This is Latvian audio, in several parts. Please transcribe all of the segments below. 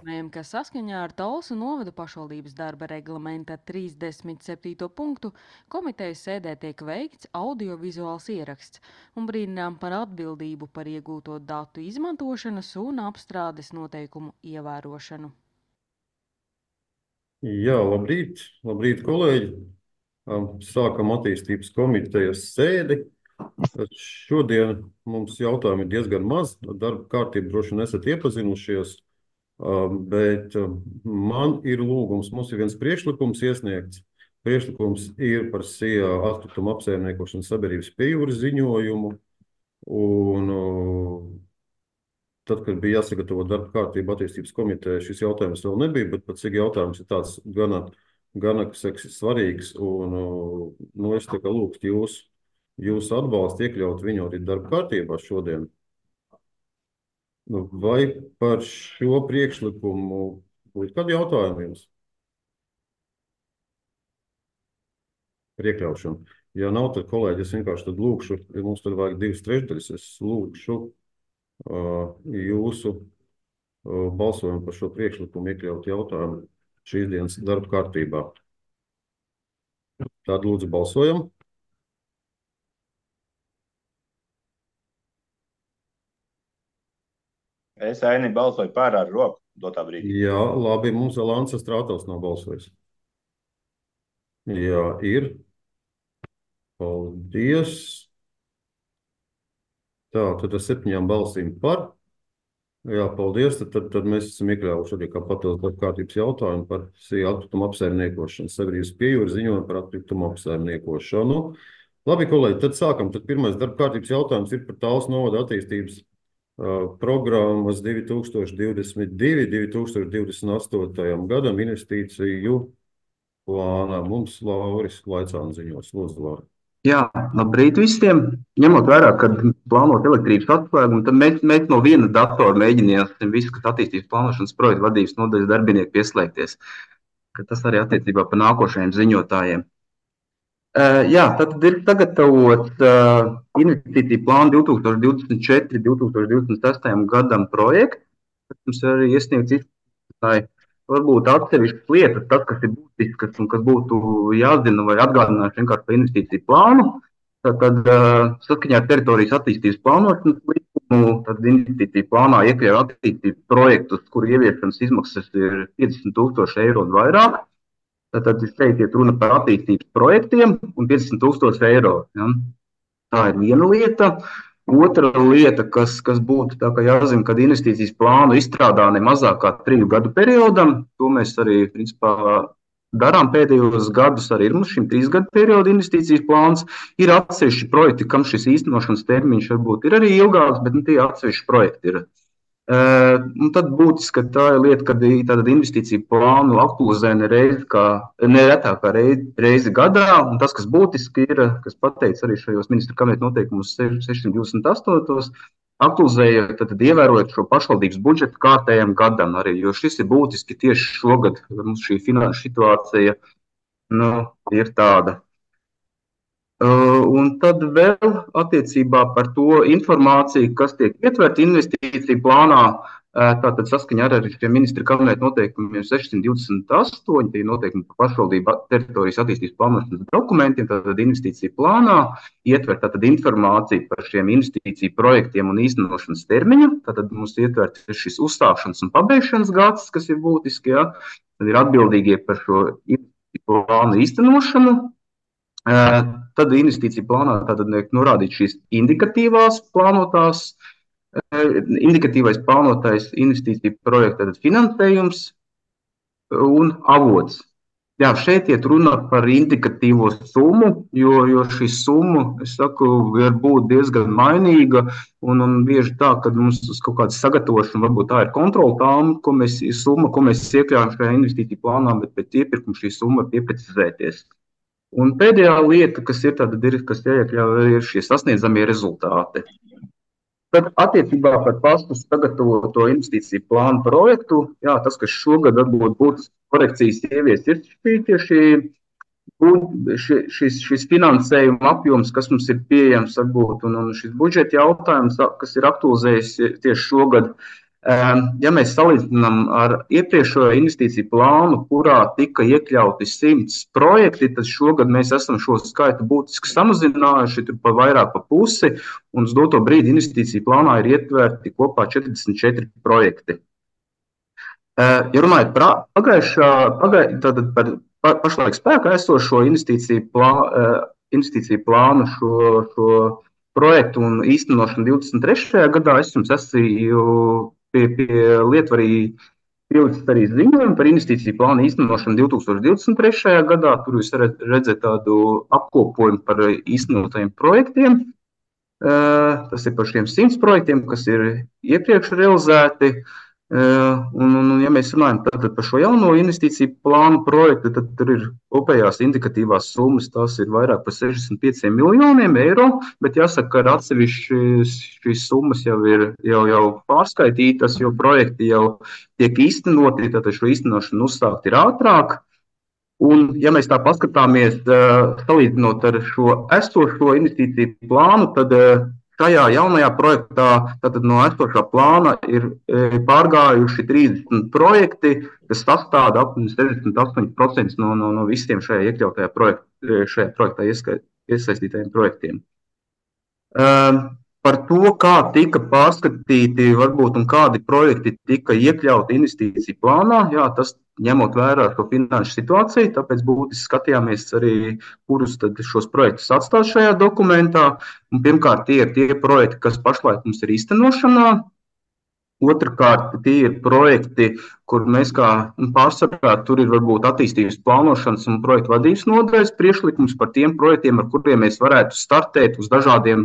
Ka saskaņā ar Talsu novada pašvaldības darba reglamenta 37. punktu komitejas sēdē tiek veikts audiovizuāls ieraksts un brīdinām par atbildību par iegūto datu izmantošanas un apstrādes noteikumu ievērošanu. Jā, labrīt, kolēģi. Sākam attīstības komitejas sēdi. Šodien mums jautājumi ir diezgan maz. Darba kārtību droši vien esat iepazinušies, bet man ir lūgums. Mums ir viens priekšlikums iesniegts. Priekšlikums ir par SIA atkritumu apsaimniekošanas sabiedrības pie jūras ziņojumu. Un tad, kad bija jāsagatavo darba kārtība attīstības komiteja, šis jautājums vēl nebija, bet pats jautājums ir tāds gana svarīgs. Un es tā kā lūgtu jūsu atbalstu iekļaut viņu arī darba kārtībā šodien. Vai par šo priekšlikumu būtu kādi jautājumi jums? Par iekļaušanu. Ja nav, tad kolēģi, es vienkārši tad lūkšu, ja mums tad vajag 2/3, es lūkšu jūsu balsojumu par šo priekšlikumu iekļaut jautājumu šīs dienas darba kārtībā. Tātad lūdzu balsojam. Es, Aini, balsoju par ar roku dotā brīdī. Jā, labi, mums vēl Ansa Strātels nav balsojis. Jā, ir. Paldies. Tā, tad ar 7 balsīm par. Jā, paldies. Tad mēs esam iekļāvuši arī kā papildus darba kārtības jautājumu par SIA atkritumu apsaimniekošanu. Sabiedrības pie jūras ziņojumu par atkritumu apsaimniekošanu. Labi, kolēģi, tad sākam. Tad pirmais darba kārtības jautājums ir par Talsu novada attīstības programmas 2022–2028 gadam investīciju plānā. Mums Lauris Laicāns ziņos. Lūdzu, Laura. Jā, labrīt visiem. Ņemot vērā, ka plānot elektrības atslēgumu, tad mēs no viena datora mēģinājām visu, kas attīstības plānošanas projektu vadības nodaļas darbinieki pieslēgties. Tas arī attiecībā par nākošajiem ziņotājiem. Jā, tad ir sagatavots investīciju plānu 2024–2026 gadam projekts, kas mums arī iesniegts izskatītāji. Varbūt atsevišķas lietas, tas, kas ir būtiskas un kas būtu jāzina vai atgādināšu vienkārši par investīciju plānu. Tad saskaņā ar teritorijas attīstības plānošanas likumu, tad investīciju plānā iekļauj attīstības projektus, kuru ieviešanas izmaksas ir 50,000 eiro un vairāk. Tad šeit iet runa par attīstības projektiem un 50,000 eiro. Ja? Tā ir viena lieta. Otra lieta, kas būtu tā kā jāzina, kad investīcijas plānu izstrādā ne mazāk kā 3 gadu periodam, to mēs arī principā darām pēdējos gadus, arī ir mums šim 3 gadu periodu investīcijas plāns. Ir atsevišķi projekti, kam šis īstenošanas termiņš varbūt ir arī ilgāks, bet tie atsevišķi projekti ir. Un tad būtiski tā ir lieta, kad tātad investīciju plānu aktualizē neretāk kā reizi gadā, un tas, kas būtiski ir, kas pateicis arī šajos ministra kabineta noteikumus 628, aktualizēja tātad ievērojot šo pašvaldības budžetu kārtējam gadam arī, jo šis ir būtiski tieši šogad, mums šī finanšu situācija ir tāda. Un tad vēl attiecībā par to informāciju, kas tiek ietverta investīciju plānā, tātad saskaņā ar šiem ministra kabineta noteikumiem 628, tie noteikumi par pašvaldību teritorijas attīstības plānošanas dokumentiem, tātad investīciju plānā ietver tātad informāciju par šiem investīciju projektiem un īstenošanas termiņu, tātad mums ietver šis uzstākšanas un pabeigšanas gads, kas ir būtiski, ja? Tad ir atbildīgie par šo investīciju plānu īstenošanu. Tad investīcija plānā tātad norādīt šīs indikatīvais plānotais investīciju projekta finansējums un avots. Jā, šeit iet runa par indikatīvo summu, jo šī summa, es saku, var būt diezgan mainīga un bieži tā, ka mums uz kaut kāda sagatavošana, varbūt tā ir kontrola tām, ko mēs iekļaujam šajā investīciju plānā, bet pēc iepirkuma šī summa var pieprecizēties. Un pēdējā lieta, kas ir jāiekļauj, ir šie sasniedzamie rezultāti. Tad attiecībā par pašu sagatavoto investīciju plānu projektu, jā, tas, kas šogad varbūt būtu korekcijas ievies, ir šis finansējuma apjoms, kas mums ir pieejams, varbūt, un šis budžeta jautājums, kas ir aktualizējis tieši šogad. Ja mēs salīdzinām ar iepriekšējo investīciju plānu, kurā tika iekļauti 100 projekti, tad šogad mēs esam šo skaitu būtiski samazinājuši, tur pa vairāk pa pusi, un uz doto brīdi investīciju plānā ir ietverti kopā 44 projekti. Ja runājot par pašlaik spēkā esošo investīciju plānu, šo projektu un īstenošanu 23. gadā, es jums esmu pie lietvarī pielicis arī ziņojumu par investīciju plānu īstenošanu 2023. gadā. Tur jūs redzat tādu apkopojumu par īstenotajiem projektiem. Tas ir par šiem 100 projektiem, kas ir iepriekš realizēti. Ja mēs runājam par šo jauno investīciju plānu projektu, tad tur ir kopējās indikatīvās summas, tās ir vairāk par 65 miljoniem eiro, bet jāsaka, ka atsevišķi šīs summas jau ir pārskaitītas, jo projekti jau tiek īstenoti, tad šo īstenošanu uzsākt ir ātrāk. Un, ja mēs tā paskatāmies, salīdzinot ar šo esošo investīciju plānu, tad šajā jaunajā projektā, tātad no esošā plāna, ir pārgājuši 30 projekti, kas sastāda apmēram 68% no visiem šajā iekļautajā projektā iesaistītajiem projektiem. Par to, kā tika pārskatīti varbūt un kādi projekti tika iekļauti investīciju plānā, jā, tas ņemot vērā šo finanšu situāciju, tāpēc būtiski skatījāmies arī, kurus tad šos projektus atstāt šajā dokumentā. Un pirmkārt, tie ir tie projekti, kas pašlaik mums ir īstenošanā. Otrakārt, tie ir projekti, kur mēs kā pārsvarā, tur ir varbūt attīstības plānošanas un projektu vadības nodaļas priekšlikums par tiem projektiem, ar kuriem mēs varētu startēt uz dažādiem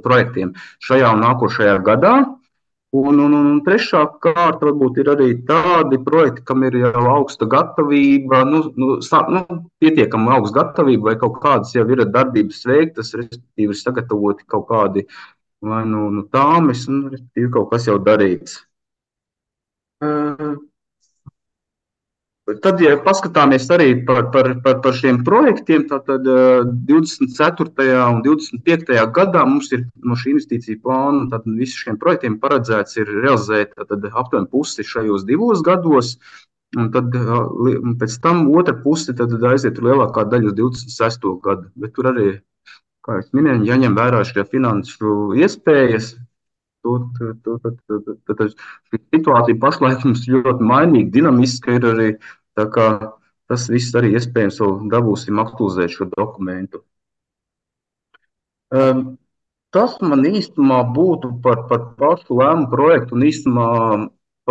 projektiem šajā un nākošajā gadā. Un trešā kārta varbūt ir arī tādi projekti, kam ir jau augsta gatavība, pietiekama augsta gatavība vai kaut kādas jau ir darbības veiktas, respektīvi ir sagatavoti kaut kādi vai tāmes, respektīvi kaut kas jau darīts. Tad, ja paskatāmies arī par šiem projektiem, tad 24. un 25. gadā mums ir no šī investīcija plāna, tad visi šiem projektiem paredzēts ir realizēt aptuveni pusi šajos 2 gados, un tad pēc tam otra pusi tad aiziet lielākā daļa uz 26. gadu. Bet tur arī, kā es minēju, jāņem vērā šie finanšu iespējas. Tad šī situācija pašlaik mums ļoti mainīga, dinamiska ir arī. Tā kā tas viss arī iespējams vēl dabūsim aktualizēt šo dokumentu. Tas man īstumā būtu par pašu lēmumu projektu un īstumā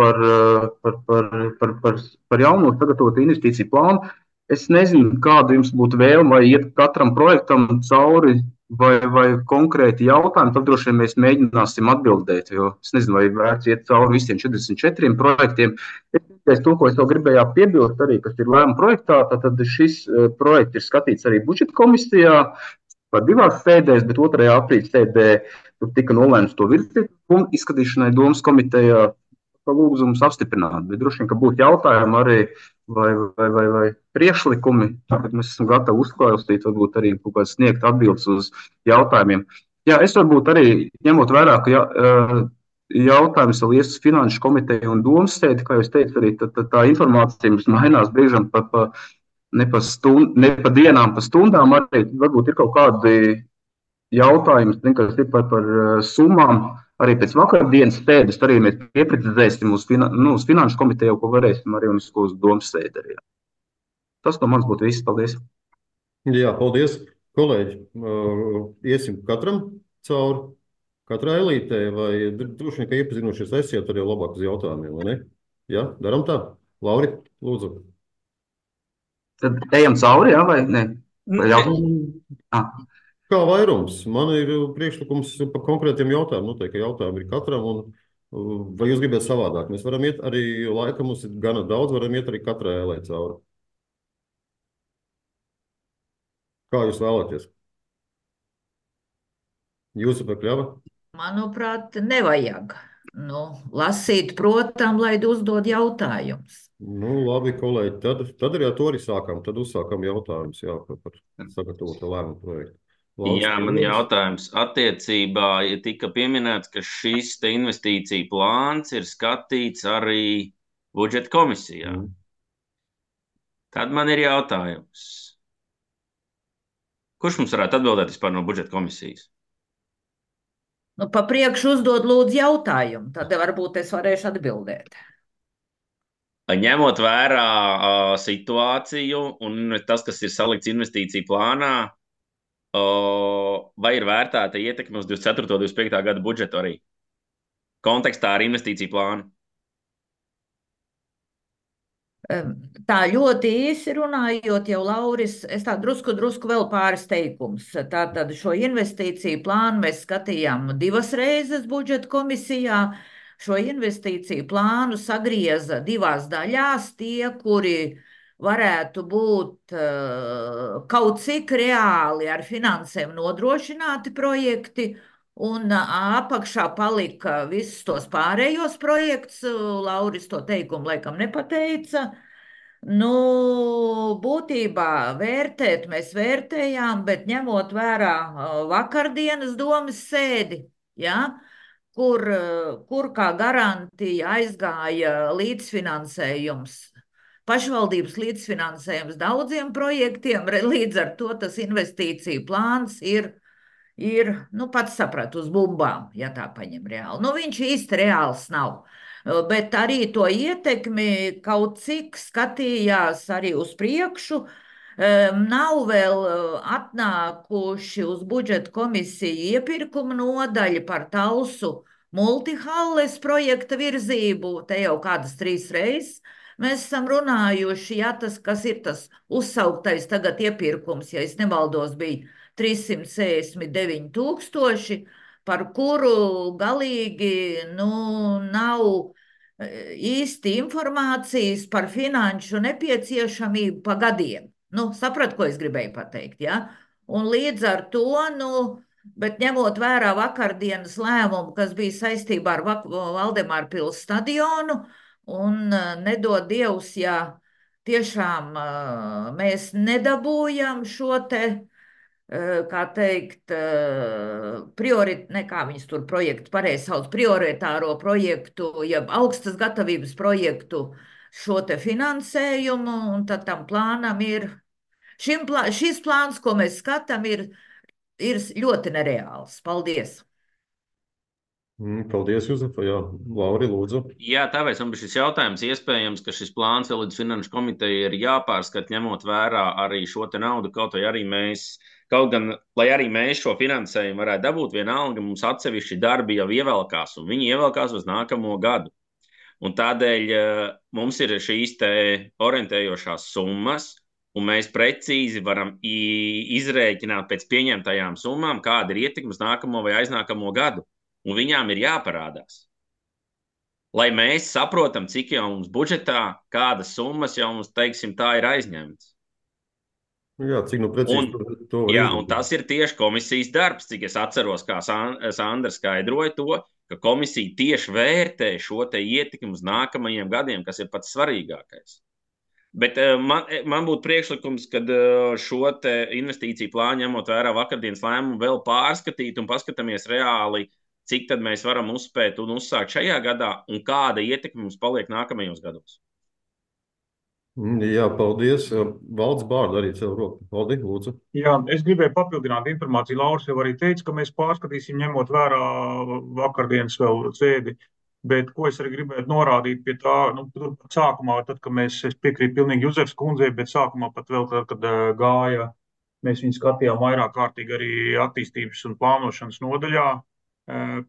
par jauno sagatavotu investīciju plānu. Es nezinu, kāda jums būtu vēlme, vai iet katram projektam cauri vai konkrēti jautājumi, tad droši vien mēs mēģināsim atbildēt, jo es nezinu, vai vērts iet cauri visiem 44 projektiem. To, ko es vēl gribēju piebilst arī, kas ir lēmuma projektā, tad šis projekts ir skatīts arī budžeta komisijā par 2 sēdēs, bet 2. aprīļa sēdē tur tika nolēmts to virzīt un izskatīšanai domas komitejā lūgums apstiprināt. Bet droši vien, ka būtu jautājumi arī vai priekšlikumi, tad mēs esam gatavi uzklausīt, varbūt arī kaut kāds sniegt atbildes uz jautājumiem. Jā, es varbūt arī ņemot vērā, ka jautājums vēl ies uz finanšu komiteju un domas sēdi, kā jūs teicu, arī tā informācija mums mainās brīžam ne pa dienām, pa stundām, arī varbūt ir kaut kādi jautājumi, kas ir par summām. Arī pēc vakardienas sēdes arī mēs pieprecizēsim uz finanšu komiteju, ko varēsim arī uz domas sēdi arī. Tas no manis būtu viss. Paldies. Jā, paldies, kolēģi. Iesim katram cauri, katrai elītē, vai droši vien, ka iepazinušies esiet arī labāk uz jautājumiem, vai ne? Jā, daram tā. Lauri, lūdzu. Tad ejam cauri, jā, vai ne? Vai Kā vairums? Man ir priekšlikums par konkrētiem jautājumiem. Noteikti jautājumi ir katram. Vai jūs gribat savādāk? Mēs varam iet arī, laika mums ir gana daudz, varam iet arī katrai ēlē cauri. Kā jūs vēlaties? Jūsu pakļava? Manuprāt, nevajag. Lasīt, protams, lai uzdod jautājumus. Labi, kolēģi. Tad arī ar to arī sākam. Tad uzsākam jautājumus par sagatavotu lēmumu projektu. Valsts Jā, man pieņems. jautājums attiecībā, ja tika pieminēts, ka šis te investīcija plāns ir skatīts arī budžeta komisijā. Tad man ir jautājums. Kurš mums varētu atbildēt vispār no budžeta komisijas? Nu, pa priekšu uzdod lūdzu jautājumu, tad varbūt es varēšu atbildēt. Ņemot vērā situāciju un tas, kas ir salikts investīciju plānā, vai ir vērtēta ietekme uz 24. un 25. gada budžetu arī kontekstā ar investīciju plānu? Tā ļoti īsi runājot, jau Lauris, es tā drusku vēl pāris teikums. Tātad šo investīciju plānu mēs skatījām 2 reizes budžeta komisijā. Šo investīciju plānu sagrieza 2 daļās. Tie, kuri varētu būt kaut cik reāli ar finansēm nodrošināti projekti, un apakšā palika visus tos pārējos projekts. Lauris to teikumu laikam nepateica. Nu, būtībā vērtēt mēs vērtējām, bet ņemot vērā vakardienas domas sēdi, ja, kur kā garantija aizgāja līdzfinansējums, pašvaldības līdzfinansējums daudziem projektiem, līdz ar to tas investīciju plāns ir, nu, pats saprat, uz bumbām, ja tā paņem reāli. Nu, viņš īsti reāls nav. Bet arī to ietekmi kaut cik skatījās arī uz priekšu. Nav vēl atnākuši uz budžeta komisiju iepirkuma nodaļa par Talsu multihalles projekta virzību. Te jau kādas 3 reizes mēs esam runājuši, ja tas, kas ir tas uzsauktais tagad iepirkums, ja es nemaldos, bija 369 000, par kuru galīgi nav īsti informācijas par finanšu nepieciešamību pa gadiem. Saprat, ko es gribēju pateikt, ja? Un līdz ar to, bet ņemot vērā vakardienas lēmumu, kas bija saistībā ar Valdemāra pils stadionu, un nedod Dievs, ja tiešām mēs nedabūjam šo te, kā teikt, kā viņas tur projektu pareizi sauc, prioritāro projektu, jeb augstas gatavības projektu, šo te finansējumu, un tad tam plānam ir, šis plāns, ko mēs skatām, ir ļoti nereāls. Paldies! Paldies, Juzefa. Jā, Lauri, lūdzu. Jā, tāpēc man bija šis jautājums. Iespējams, ka šis plāns vēl līdz Finanšu komiteja ir jāpārskat, ņemot vērā arī šo te naudu, kaut gan, lai arī mēs šo finansējumu varētu dabūt, vienalga mums atsevišķi darbi jau ievelkās, un viņi ievelkās uz nākamo gadu. Un tādēļ mums ir šīs te orientējošās summas, un mēs precīzi varam izrēķināt pēc pieņemtajām summām, kāda ir ietekme uz nākamo vai aiznākamo gadu. Un viņām ir jāparādās. Lai mēs saprotam, cik jau mums budžetā, kādas summas jau mums, teiksim, tā ir aizņemtas. Jā, cik precīzi to var izdarīt. Un tas ir tieši komisijas darbs, cik es atceros, kā Sandra skaidroja to, ka komisija tieši vērtē šo te ietekmi uz nākamajiem gadiem, kas ir pats svarīgākais. Bet man būtu priekšlikums, kad šo te investīciju plānu, ņemot vērā vakardienas lēmumu, vēl pārskatīt un paskatāmies reāli, cik tad mēs varam uzspēt un uzsākt šajā gadā, un kāda ietekme mums paliek nākamajos gados. Jā, paldies. Valds Bārda arī cēl roku. Valdi, lūdzu. Jā, es gribēju papildināt informāciju. Lauris jau arī teica, ka mēs pārskatīsim, ņemot vērā vakardienas vēl sēdi. Bet ko es arī gribētu norādīt pie tā, tur sākumā, tad, kad es piekrītu pilnīgi Juzefs kundzei, bet sākumā pat vēl tad, kad gāja, mēs viņu skatījām vairāk kārtīgi arī attīstības un plānošanas nodaļā,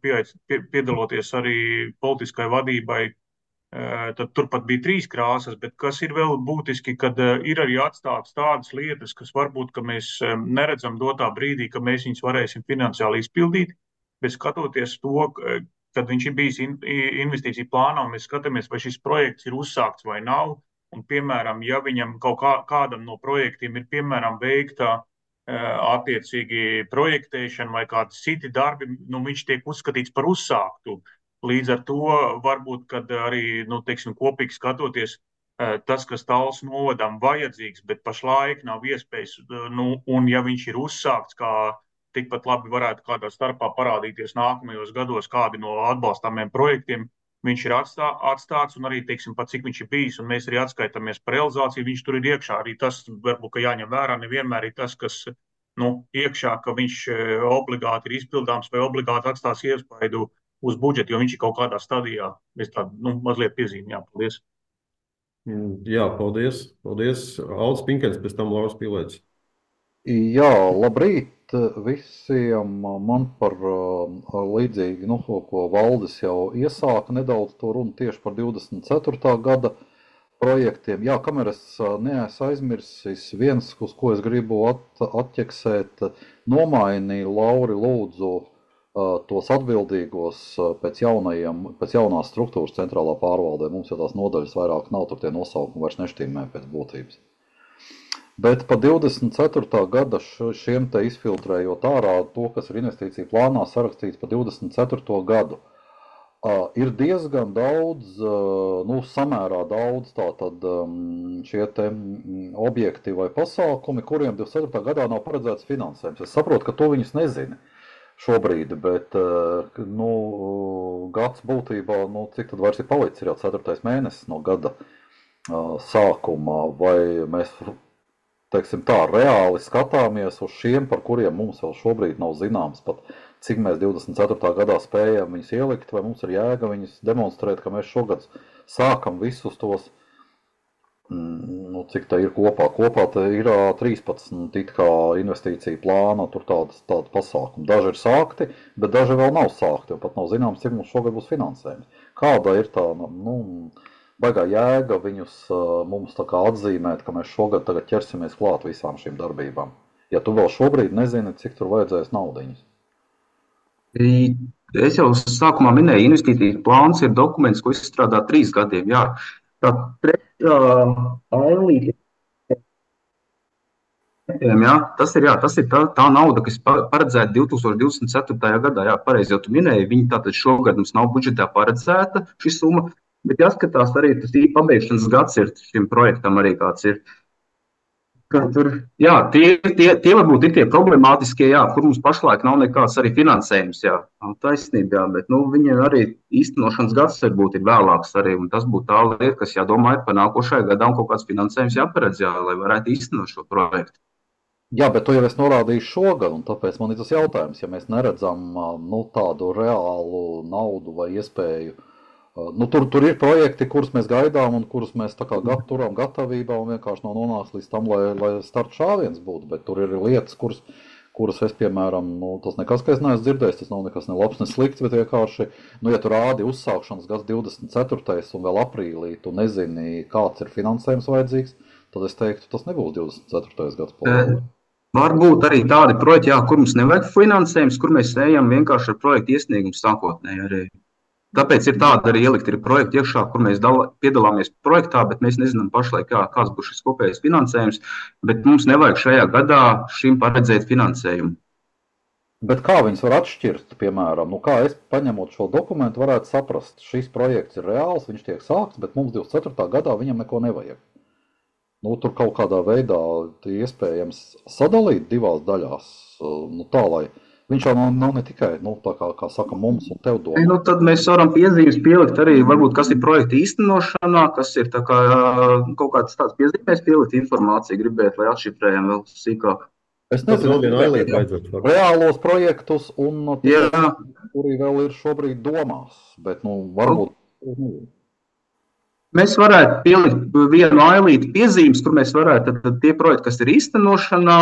piedaloties arī politiskai vadībai, tad turpat bija 3 krāsas, bet kas ir vēl būtiski, kad ir arī atstātas tādas lietas, kas varbūt, ka mēs neredzam dotā brīdī, ka mēs viņus varēsim finansiāli izpildīt, bet skatoties to, kad viņš ir bijis investīciju plānā, mēs skatāmies, vai šis projekts ir uzsākts vai nav, un, piemēram, ja viņam kaut kādam no projektiem ir, piemēram, veikta attiecīgi projektēšana vai kādi citi darbi, viņš tiek uzskatīts par uzsāktu. Līdz ar to varbūt, kad arī, teiksim, kopīgi skatoties, tas, kas Talsu novadam vajadzīgs, bet pašlaik nav iespējas, un ja viņš ir uzsākts kā tikpat labi varētu kādā starpā parādīties nākamajos gados kādi no atbalstāmiem projektiem. Viņš ir atstāts un arī, teiksim, pat cik viņš ir bijis, un mēs arī atskaitāmies par realizāciju, viņš tur ir iekšā. Arī tas, varbūt, ka jāņem vērā, nevienmēr ir tas, kas iekšā, ka viņš obligāti ir izpildāms vai obligāti atstās iespaidu uz budžetu, jo viņš ir kaut kādā stadijā. Es tādu mazliet piezīmi, jā, paldies. Jā, paldies. Paldies. Aldis Pinkens, pēc tam Lauris Pīlēts. Jā, labrīt visiem. Man par līdzīgi, ko Valdis jau iesāka nedaudz to runu tieši par 24. gada projektiem. Jā, kamēr es neesmu aizmirsis, viens, uz ko es gribu atķeksēt, nomainīja Lauri lūdzu tos atbildīgos pēc jaunās struktūras centrālā pārvaldē. Mums jau tās nodaļas vairāk nav, tur tie nosaukumi vairs neštīmē pēc būtības. Bet pa 24. gada šiem te izfiltrējot ārā to, kas ir investīcija plānā sarakstīts pa 24. gadu, ir diezgan daudz, samērā daudz tātad šie te objekti vai pasākumi, kuriem 24. gadā nav paredzēts finansējums. Es saprotu, ka to viņus nezina šobrīd, bet gads būtībā, cik tad vairs ir palicis, ir jau 4. mēnesis no gada sākuma, vai mēs, teiksim tā, reāli skatāmies uz šiem, par kuriem mums vēl šobrīd nav zināms, pat cik mēs 24. gadā spējam viņus ielikt, vai mums ir jēga viņus demonstrēt, ka mēs šogad sākam visus tos, cik tā ir kopā. Kopā tā ir 13 it kā investīcija plāna, tur tādi pasākumi. Daži ir sākti, bet daži vēl nav sākti, un pat nav zināms, cik mums šogad būs finansējums. Kāda ir tā, baigā jēga viņus mums tā kā atzīmēt, ka mēs šogad tagad ķersimies klāt visām šīm darbībām? Ja tu vēl šobrīd nezini, cik tur vajadzēs naudiņas. Es jau sākumā minēju, investīcijas plāns ir dokuments, ko izstrādā 3 gadiem, jā. Tā trešā ailīte, jā, tas ir tā nauda, kas paredzēta 2024. gadā, jā, pareizi jau tu minēji, viņi tātad šogad mums nav budžetā paredzēta šī summa, bet jāskatās arī tas pabeigšanas gads ir šim projektam arī kāds ir. Tur, jā, tie varbūt ir tie problemātiskie, jā, kur mums pašlaik nav nekāds arī finansējums, jā, taisnība, jā, bet, viņiem arī īstenošanas gads varbūt ir vēlāks arī, un tas būtu tā lieta, kas jādomā ir par nākošajā gadā un kaut kāds finansējums jāparedz, jā, lai varētu īstenot šo projektu. Jā, bet to jau es norādīju šogad, un tāpēc man ir tas jautājums, ja mēs neredzam, tādu reālu naudu vai iespēju. Tur ir projekti, kurus mēs gaidām un kurus mēs tā kā turam gatavībā un vienkārši nav nonāks līdz tam, lai start šāviens būtu, bet tur ir lietas, kuras es, piemēram, tas nekas, ka es neesmu dzirdējis, tas nav nekas ne labs, ne slikts, bet vienkārši, ja tu rādi uzsākšanas gads 24. un vēl aprīlī, tu nezini, kāds ir finansējums vajadzīgs, tad es teiktu, tas nebūs 24. gads. Varbūt arī tādi projekti, jā, kur mums nevajag finansējums, kur mēs ejam vienkārši ar projektu iesniegumu sākotnēji arī. Tāpēc ir tāda arī ielikt ir projekti iekšā, kur mēs piedalāmies projektā, bet mēs nezinām pašlaik, kāds būs šis kopējais finansējums, bet mums nevajag šajā gadā šim paredzēt finansējumu. Bet kā viņus var atšķirt, piemēram, kā es paņemot šo dokumentu varētu saprast, šis projekts ir reāls, viņš tiek sākts, bet mums 24. gadā viņam neko nevajag. Tur kaut kādā veidā iespējams sadalīt divās daļās, tā, lai viņš jau nav ne tikai, tā kā saka, mums un tev domā. Tad mēs varam piezīmes pielikt arī, varbūt, kas ir projekta īstenošanā, kas ir tā kā kaut kāds tāds piezīmēs pielikt informāciju, gribēt, lai atšifrējam vēl sīkāk. Es nezinu, reālos projektus un kuri vēl ir šobrīd domās, bet, varbūt. Mēs varētu pielikt vienu ailīti piezīmes, kur mēs varētu tad tie projekti, kas ir īstenošanā,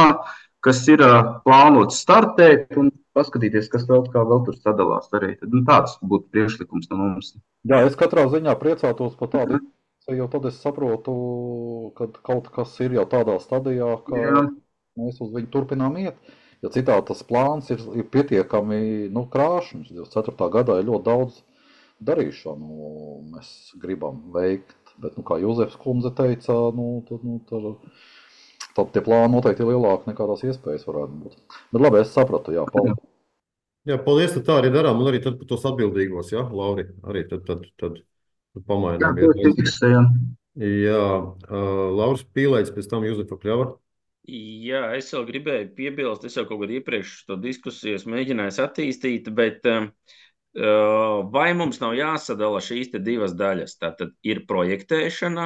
kas ir plānots startēt un paskatīties, kas vēl tur sadalās arī. Tāds būtu priekšlikums no mums. Jā, es katrā ziņā priecātos par tādu, jo tad es saprotu, ka kaut kas ir jau tādā stadijā, ka mēs uz viņu turpinām iet. Jo citādi tas plāns ir pietiekami krāšņs. 24. gadā ir ļoti daudz darīšanu mēs gribam veikt, bet, kā Jūzefs kundze teica, tad tie plāni noteikti ir lielāki nekā tās iespējas varētu būt. Bet labi, es sapratu, jā, paldies. Jā, paldies, tad tā arī darām, un arī tad par tos atbildīgos, jā, Lauri, arī tad pamainām. Jā, Lauris Pīlēts, pēc tam Jūzefa Kļava. Jā, es vēl gribēju piebilst, es jau kaut kad iepriekš to diskusijas mēģināju attīstīt, bet vai mums nav jāsadala šīs te divas daļas? Tātad ir projektēšana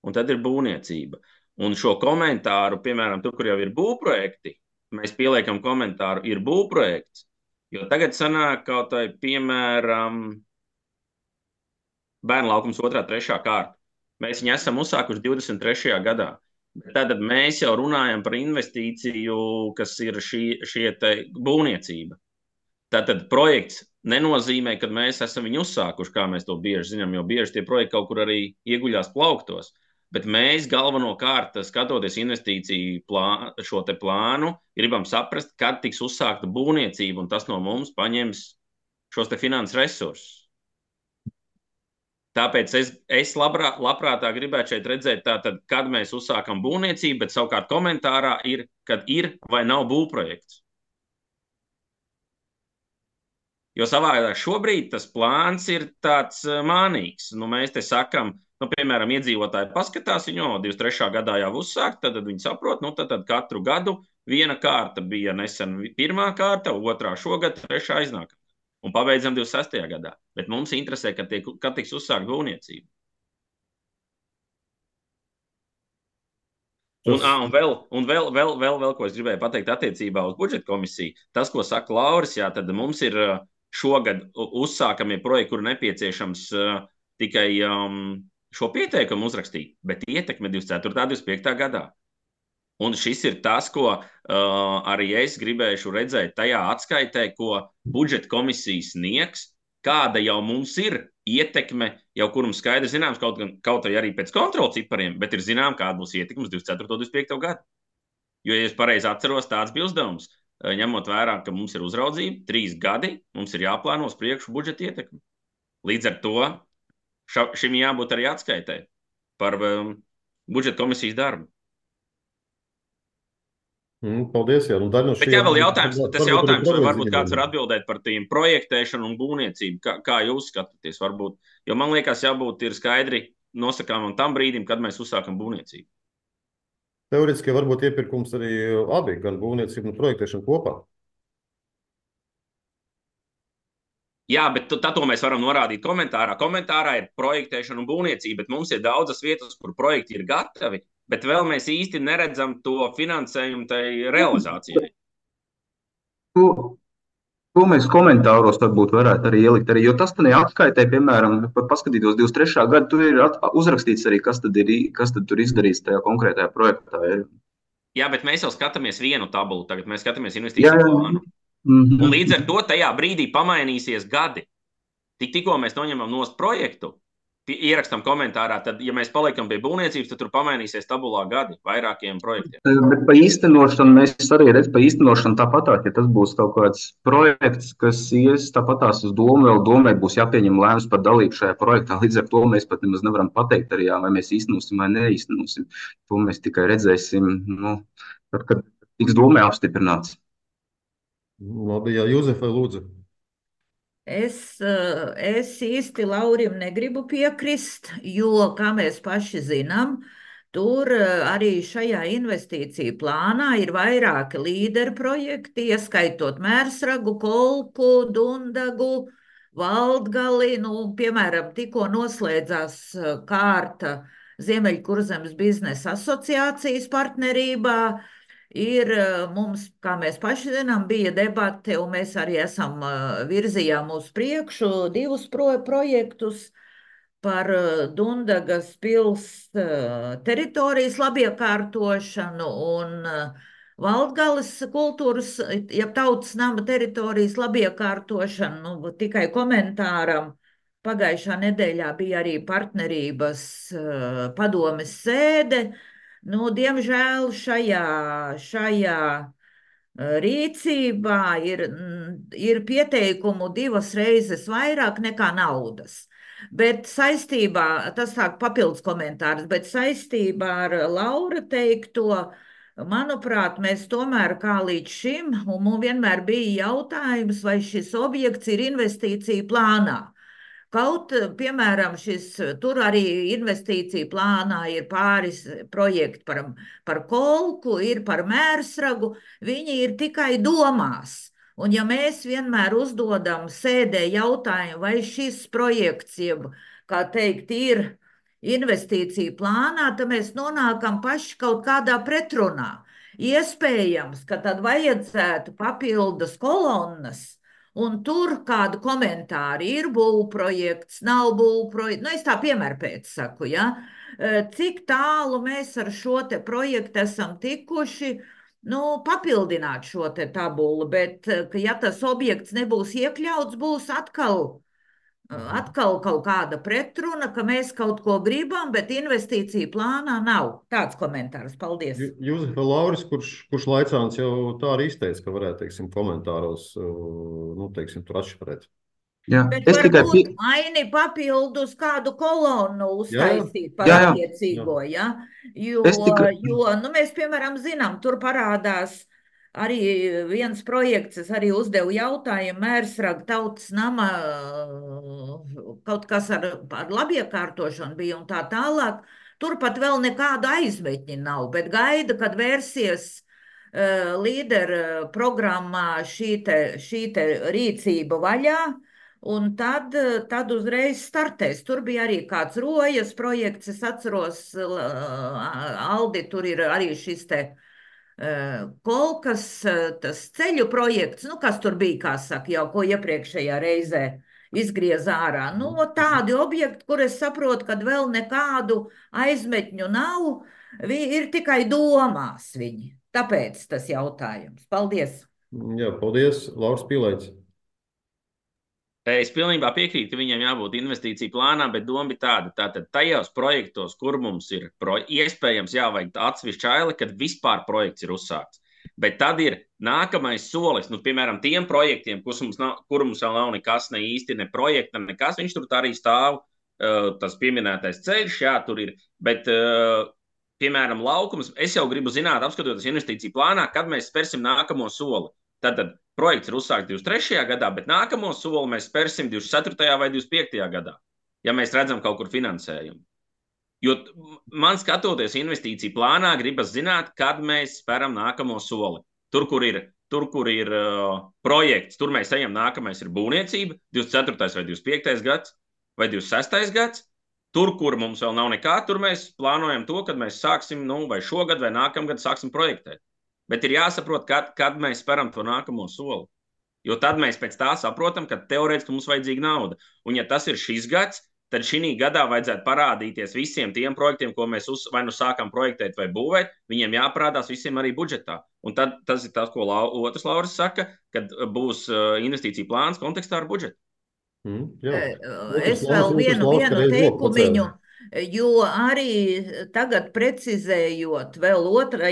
un tad ir būvniecība. Un šo komentāru, piemēram, tur, kur jau ir būvprojekti, mēs pieliekam komentāru, ir būvprojekts, jo tagad sanāk kaut vai, piemēram, Bērnu laukums 2., 3. kārta. Mēs viņu esam uzsākuši 23. gadā. Tātad mēs jau runājam par investīciju, kas ir šie te būvniecība. Tātad projekts nenozīmē, ka mēs esam viņu uzsākuši, kā mēs to bieži zinām, jo bieži tie projekti kaut kur arī ieguļās plauktos. Bet mēs galvenokārt, skatoties investīciju šo te plānu, gribam saprast, kad tiks uzsākta būvniecība, un tas no mums paņems šos te finanses resursus. Tāpēc es labprātāk gribētu šeit redzēt, tātad, kad mēs uzsākam būvniecību, bet savukārt komentārā ir, kad ir vai nav būvprojekts. Jo savādāk šobrīd tas plāns ir tāds mānīgs. Mēs te sakam, piemēram, iedzīvotāji paskatās viņu, 23. gadā jau uzsākt, tad viņi saprot, tad katru gadu viena kārta bija nesen 1. kārta, 2. šogad, 3. aiznākamā. Un pabeidzam 26. gadā. Bet mums interesē, kad tiks uzsākt būvniecība. Un vēl, ko es gribēju pateikt attiecībā uz budžeta komisiju, tas, ko saka Lauris, jā, tad mums ir šogad uzsākamie projekti, kur nepieciešams tikai šo pieteikumu uzrakstīt, bet ietekme 24. 25. gadā. Un šis ir tas, ko arī es gribēšu redzēt tajā atskaitē, ko budžeta komisija sniegs, kāda jau mums ir ietekme, jau kur mums skaidri zināms, kaut arī pēc kontrolu cipariem, bet ir zinām, kāda būs ietekme uz 24. 25. gadu. Jo, ja es pareizi atceros, tāds bija uzdevums, ņemot vērā, ka mums ir uzraudzība 3 gadi, mums ir jāplāno uz priekšu budžeta ietekmi. Līdz ar to šim jābūt arī atskaitē par budžeta komisijas darbu. Paldies, jā. Bet jā, vēl jautājums, vai varbūt kāds var atbildēt par tiem projektēšanu un būvniecību, kā jūs skatāties varbūt, jo man liekas jābūt ir skaidri nosakāmam tam brīdim, kad mēs uzsākam būvniecību. Teoretiski varbūt iepirkums arī abi, gan būvniecība un projektēšana kopā. Jā, bet tad to mēs varam norādīt komentārā. Komentārā ir projektēšana un būvniecība, bet mums ir daudzas vietas, kur projekti ir gatavi, bet vēl mēs īsti neredzam to finansējumu tai realizācijai. To mēs komentāros varbūt varētu arī ielikt, jo tas tad atskaitē, piemēram, paskatītos 23. gadu, tur ir uzrakstīts arī, kas tad tur izdarīts tajā konkrētajā projektā. Jā, bet mēs jau skatāmies vienu tabulu, tagad mēs skatāmies investīciju plānu. Un līdz ar to tajā brīdī pamainīsies gadi. Tikko mēs noņemam nost projektu, ierakstam komentārā, tad, ja mēs paliekam pie būvniecības, tad tur pamainīsies tabulā gadi vairākiem projektiem. Bet pa īstenošanu mēs arī redzam, pa īstenošanu tāpatās, ja tas būs kaut kāds projekts, kas ies tāpatās uz domu, vēl domē būs jāpieņem lēmums par dalību šajā projektā. Līdz ar to mēs pat nemaz nevaram pateikt arī, vai mēs īstenosim vai neīstenosim. To mēs tikai redzēsim, tad, kad tiks domē apstiprināts. Labi, jā, Juzefa, lūdzu. Es īsti Laurim negribu piekrist, jo, kā mēs paši zinām, tur arī šajā investīciju plānā ir vairāki līderu projekti, ieskaitot Mērsragu, Kolku, Dundagu, Valdgali, piemēram, tikko noslēdzās kārta Ziemeļkurzemes biznesa asociācijas partnerībā. Mums, kā mēs paši zinām, bija debate, un mēs arī virzījām uz priekšu 2 projektus par Dundagas pils teritorijas labiekārtošanu un Valdgales kultūras, tautas nama teritorijas labiekārtošanu. Tikai komentāram pagājušā nedēļā bija arī partnerības padomes sēde. Diemžēl šajā rīcībā ir pieteikumu 2 reizes vairāk nekā naudas. Bet tas tā papildus komentārs, bet saistībā ar Laura teikto, manuprāt, mēs tomēr kā līdz šim, un mums vienmēr bija jautājums, vai šis objekts ir investīcija plānā. Piemēram, tur arī investīcija plānā ir pāris projekti par kolku, ir par mērsragu, viņi ir tikai domās. Un ja mēs vienmēr uzdodam sēdē jautājumu, vai šis projekts, jeb, kā teikt, ir investīcija plānā, tad mēs nonākam paši kaut kādā pretrunā. Iespējams, ka tad vajadzētu papildus kolonnas, un tur kādu komentāru ir būvprojekts, nav būvprojekts. Es tā piemēru pēc saku, ja? Cik tālu mēs ar šo te projektu esam tikuši, papildināt šo te tabulu, bet, ja tas objekts nebūs iekļauts, būs atkal kaut kāda pretruna, ka mēs kaut ko gribam, bet investīcija plānā nav. Tāds komentārs. Paldies. Jūzefa Lauris, kurš laicāns jau tā arī izteica, ka varētu, teiksim, komentāros, tur atšifrēt. Jā, bet varbūt Aini papildus kādu kolonu uztaisīt par attiecīgo, ja? Jo, mēs, piemēram, zinām, tur parādās arī viens projekts, es arī uzdevu jautājumu, Mērsraga tautas nama, kaut kas ar labiekārtošanu bija un tā tālāk. Tur pat vēl nekāda aizmetņa nav, bet gaida, kad vērsies līderu programmā šī te rīcība vaļā, un tad uzreiz startēs. Tur bija arī kāds Rojas projekts, es atceros, Aldi, tur ir arī šis te kolkas, tas ceļu projekts, kas tur bija, kā saka, jau ko iepriekšējā reizē izgriez ārā. Tādi objekti, kur es saprotu, kad vēl nekādu aizmetņu nav, ir tikai domās viņi. Tāpēc tas jautājums. Paldies! Jā, paldies, Lauris Pīlēts. Es pilnībā piekrītu, ka viņiem jābūt investīciju plānā, bet doma bija tāda. Tātad tajos projektos, kur mums ir iespējams jāvajag atsevišķi aili, kad vispār projekts ir uzsākts. Bet tad ir nākamais solis, piemēram, tiem projektiem, kur mums vēl nav nekas, ne īsti, ne projekta, nekas, viņš tur arī stāv, tas pieminētais ceļš, jā, tur ir. Bet, piemēram, laukums, es jau gribu zināt, apskatoties investīciju plānā, kad mēs spērsim nākamo soli. Tātad projekts ir uzsākts 23. gadā, bet nākamo soli mēs spērsim 24. vai 25. gadā, ja mēs redzam kaut kur finansējumu. Jo man skatoties investīciju plānā, gribas zināt, kad mēs speram nākamo soli. Tur, kur ir projekts, tur mēs ejam, nākamais ir būvniecība, 24. vai 25. gads vai 26. gads. Tur, kur mums vēl nav nekā, tur mēs plānojam to, kad mēs sāksim, vai šogad vai nākamgad sāksim projektēt. Bet ir jāsaprot, kad mēs speram to nākamo soli. Jo tad mēs pēc tā saprotam, ka teorētiski mums vajadzīga nauda. Un ja tas ir šis gads, tad šī gadā vajadzētu parādīties visiem tiem projektiem, ko mēs vai nu sākam projektēt vai būvēt, viņiem jāparādās visiem arī budžetā. Un tad tas ir tas, ko otrs Lauris saka, kad būs investīcija plāns kontekstā ar budžetu. Es vēl vienu teikumiņu. Jo arī tagad precizējot vēl otrā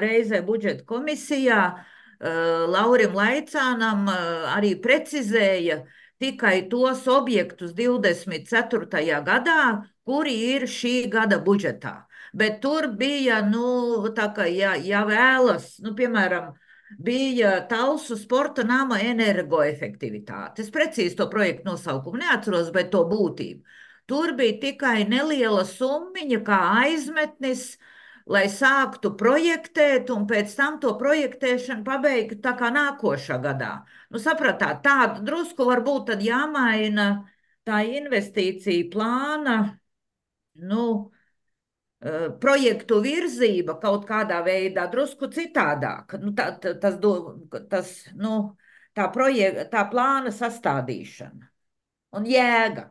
reizē budžeta komisijā, Laurim Laicānam arī precizēja tikai tos objektus 24. gadā, kuri ir šī gada budžetā. Bet tur bija, tā kā ja vēlas, piemēram, bija Talsu sporta nama energoefektivitāte. Es precīzi to projektu nosaukumu neatceros, bet to būtību. Tur bija tikai neliela summiņa kā aizmetnis, lai sāktu projektēt un pēc tam to projektēšanu pabeigt tā kā nākošā gadā. Sapratāt, tādu drusku varbūt tad jāmaina tā investīcija plāna, projektu virzība kaut kādā veidā drusku citādāk. Tā plāna sastādīšana un jēga.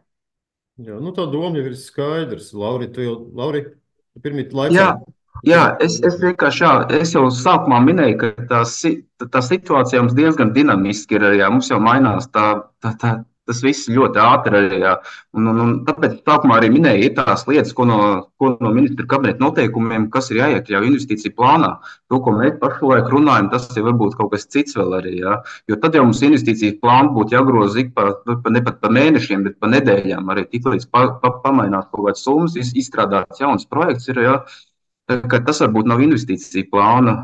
Jā, tā doma jau ir skaidrs. Lauri, tu pirmīt laikā. Jā, es vienkārši, es jau sākumā minēju, ka tā situācija mums diezgan dinamiski ir, mums jau mainās tas viss ļoti ātri arī, un tāpēc sākumā arī minēju, ir tās lietas, ko no ministra kabineta noteikumiem, kas ir jāiekļauj investīciju plānā. To, ko mēs pašlaik runājam, tas ir varbūt kaut kas cits vēl arī, jo tad jau mums investīciju plānu būtu jāgroza ne pat pa mēnešiem, bet pa nedēļām arī tiklīdz pamainās kaut kāds summas, izstrādāts jauns projekts ir, ka tas varbūt nav investīcija plāna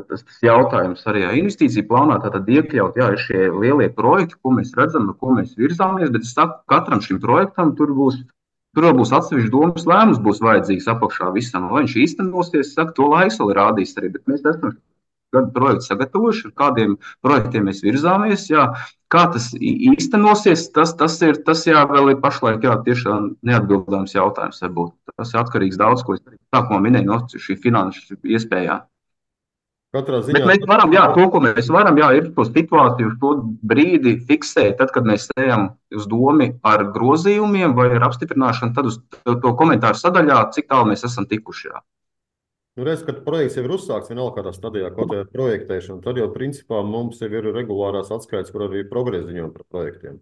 tas jautājums arī investīciju plānā. Tātad iekļaut, jā, ir šie lielie projekti, ko mēs redzam, no ko mēs virzāmies, bet es saku, katram šim projektam tur vēl būs atsevišķi domas lēmums, būs vajadzīgs apakšā visam. Vai viņš īstenosies, saka, to laiks vēl rādīs arī, bet mēs esam gadu projektu sagatavojuši, ar kādiem projektiem mēs virzāmies. Jā. Kā tas īstenosies, tas jā, vēl ir pašlaik tiešām neatbildāms jautājums. Varbūt. Tas ir atkarīgs daudz, ko es sākumā minēju no šī finanšu iespējām. Katrā ziņā. Bet mēs varam, to, ko mēs varam, ir to situāciju, uz to brīdi fiksēt, tad, kad mēs ejam uz domu ar grozījumiem vai ar apstiprināšanu, tad uz to komentāru sadaļā, cik tālu mēs esam tikuši. Jā. Redz, kad projekts jau ir uzsākts vienalga kādā stadijā, kaut kādā projektēšana, tad jau principā mums jau ir regulārās atskaites, kur arī progresa ziņojumi par projektiem.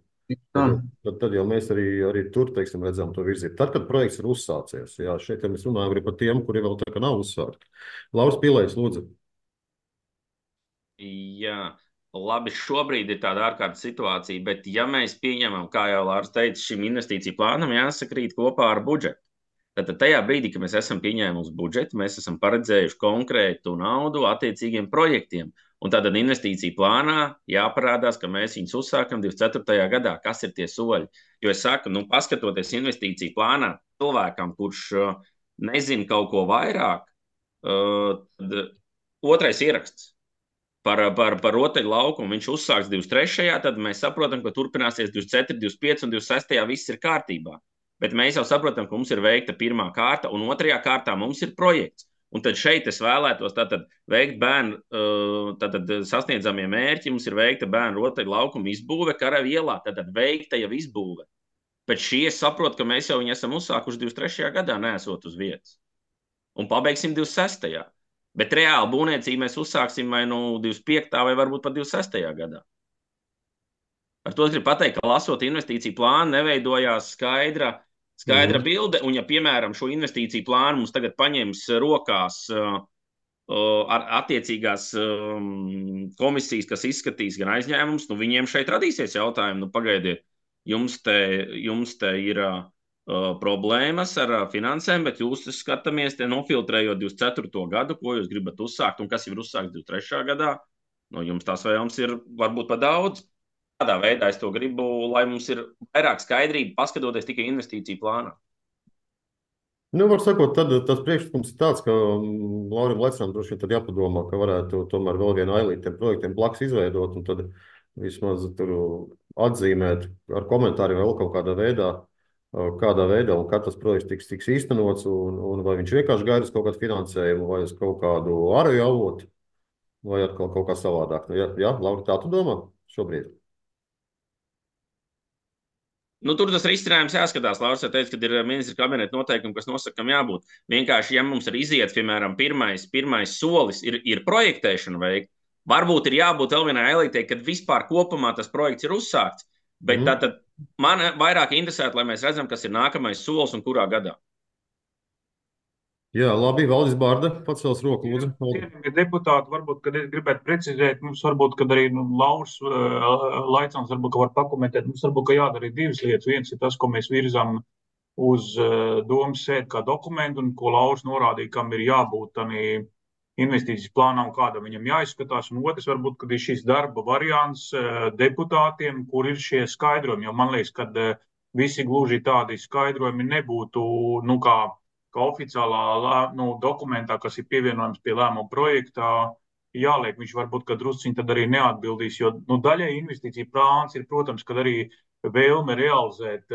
Tad jau mēs arī tur, teiksim, redzam to virzību. Tad, kad projekts ir uzsācies, jā, šeit mēs runājam arī par tiem, kuri vēl tā kā nav uzsākti. Lauris Pīlējs, lūdzu. Jā, labi, šobrīd ir tāda ārkārtas situācija, bet ja mēs pieņemam, kā jau Lārs teica, šim investīciju plānam jāsakrīt kopā ar budžetu. Tad tajā brīdī, kad mēs esam pieņēmuši budžetu, mēs esam paredzējuši konkrētu naudu attiecīgiem projektiem. Un tātad investīciju plānā jāparādās, ka mēs viņus uzsākam 24. gadā. Kas ir tie soļi? Jo es saku, paskatoties investīciju plānā cilvēkam, kurš nezina kaut ko vairāk, tad otrais ieraksts par rotaļu laukumu, viņš uzsāks 23. Tad mēs saprotam, ka turpināsies 24, 25 un 26. viss ir kārtībā. Bet mēs jau saprotam, ka mums ir veikta pirmā kārta, un otrajā kārtā mums ir projekts. Un tad šeit es vēlētos veikt bērnu, sasniedzamie mērķi. Mums ir veikta bērnu rotaļu laukuma izbūve Karavu ielā, tātad veikta jau izbūve. Bet šī es saprotu, ka mēs jau viņu esam uzsākuši 23. gadā, neesot uz vietas. Un pabeigsim 26. Bet reāli būvniecību mēs uzsāksim vai 25. vai varbūt pat 26. gadā. Ar to es gribu pateikt, ka lasot investīciju plānu, neveidojās skaidra bilde, un ja, piemēram, šo investīciju plānu mums tagad paņems rokās ar attiecīgās komisijas, kas izskatīs gan aizņēmumus, viņiem šeit radīsies jautājumi, pagaidiet, jums te ir problēmas ar finansēm, bet jūs skatāmies te nofiltrējot 24. gadu, ko jūs gribat uzsākt, un kas ir uzsākts 23. gadā, jums tās vēlams ir varbūt pa daudz. Tādā veidā es to gribu, lai mums ir vairāk skaidrība, paskatoties tikai investīciju plānā. Var sakot, tad tas priekšlikums ir tāds, ka Laurim Lecinam droši vien tad jāpadomā, ka varētu tomēr vēl vienu ailīti tiem projektiem blakus izveidot un tad vismaz tur atzīmēt ar komentāriem vēl kaut kādā veidā un kad tas projekts tiks īstenots un vai viņš vienkārši gaida uz kaut kādu finansējumu vai uz kaut kādu ārēju avotu vai atkal kaut kā savādāk. Jā, Lauri, tā tu domā šobrīd? Tur tas risinājums jāskatās. Lauris teica, ka ir ministra kabineta noteikumi, kas nosaka, kam jābūt. Vienkārši, ja mums ir iziet, piemēram, pirmais solis ir projektēšana veikt, varbūt ir jābūt vēl vienai elitei, kad vispār kopumā tas projekts ir uzsākts. Bet tātad man vairāk interesētu, lai mēs redzam, kas ir nākamais solis un kurā gadā. Jā, labi, Valdis Bārda, pacels roku, lūdzu. Deputāti, varbūt, kad es gribētu precizēt, mums varbūt, kad arī Lauris Laicans varbūt, ka var pakomentēt, mums varbūt, ka jādara divas lietas. Viens ir tas, ko mēs virzām uz domas sēdi kā dokumentu un ko Lauris norādīja, kam ir jābūt tādī investīcijas plānā un kādam viņam jāizskatās. Un otrs varbūt, kad ir šis darba variants deputātiem, kur ir šie skaidrojumi, jo man liekas, kad visi gluži tādi skaidrojumi nebūtu, kā oficiālā dokumentā, kas ir pievienojams pie lēmuma projektā, jāliek. Viņš varbūt, ka drusciņi tad arī neatbildīs, jo daļai investīcija plāns ir, protams, kad arī vēlme realizēt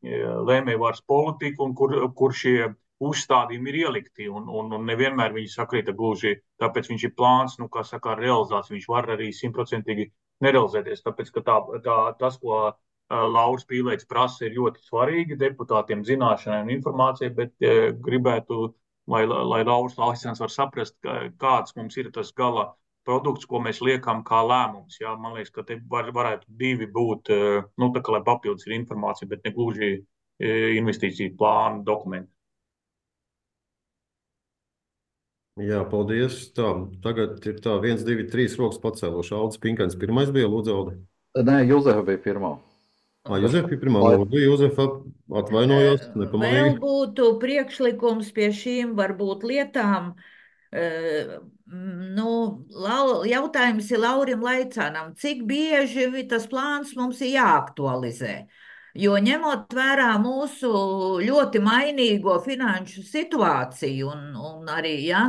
lēmējvaras politiku un kur šie uzstādījumi ir ielikti un nevienmēr viņi sakrita gluži, tāpēc viņš ir plāns, kā saka, realizācija, viņš var arī 100% nerealizēties, tāpēc, ka tas, ko Lauris Pīlējs prasa, ir ļoti svarīgi deputātiem zināšanai un informācijai, bet gribētu, lai Lauris Laicans var saprast, kāds mums ir tas gala produkts, ko mēs liekam kā lēmums. Jā, man liekas, ka te varētu divi būt, tā kā lai papildus ir informācija, bet ne gluži investīciju plānu dokumenti. Jā, paldies. Tagad ir 1, 2, 3 rokas pacēluši. Aldis Pinkans pirmais bija, lūdzu, Aldi. Nē, Juzefa bija pirmā. Juzefa bija pirmā, lūdzu, Juzefa atvainojos, nepamanīju. Vēl būtu priekšlikums pie šīm varbūt lietām Jautājums ir Laurim Laicānam, cik bieži tas plāns mums ir jāaktualizē? Jo ņemot vērā mūsu ļoti mainīgo finanšu situāciju, un arī, ja,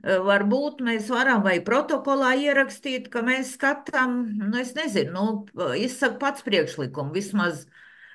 varbūt mēs varam vai protokolā ierakstīt, ka mēs skatām, es nezinu, izsaka pats priekšlikumu, vismaz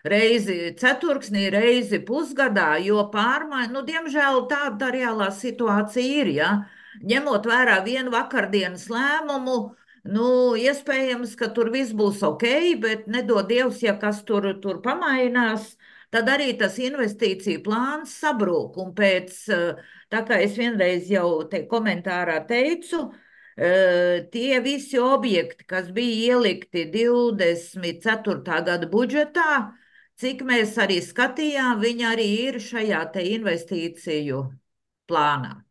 reizi ceturksnī, reizi pusgadā, jo diemžēl tāda reālā situācija ir, ja. Ņemot vērā vienu vakardienas lēmumu, iespējams, ka tur viss būs ok, bet nedod Dievs, ja kas tur pamainās, tad arī tas investīciju plāns sabrūk. Un tā kā es vienreiz jau te komentārā teicu, tie visi objekti, kas bija ielikti 24. gada budžetā, cik mēs arī skatījām, viņi arī ir šajā te investīciju plānā.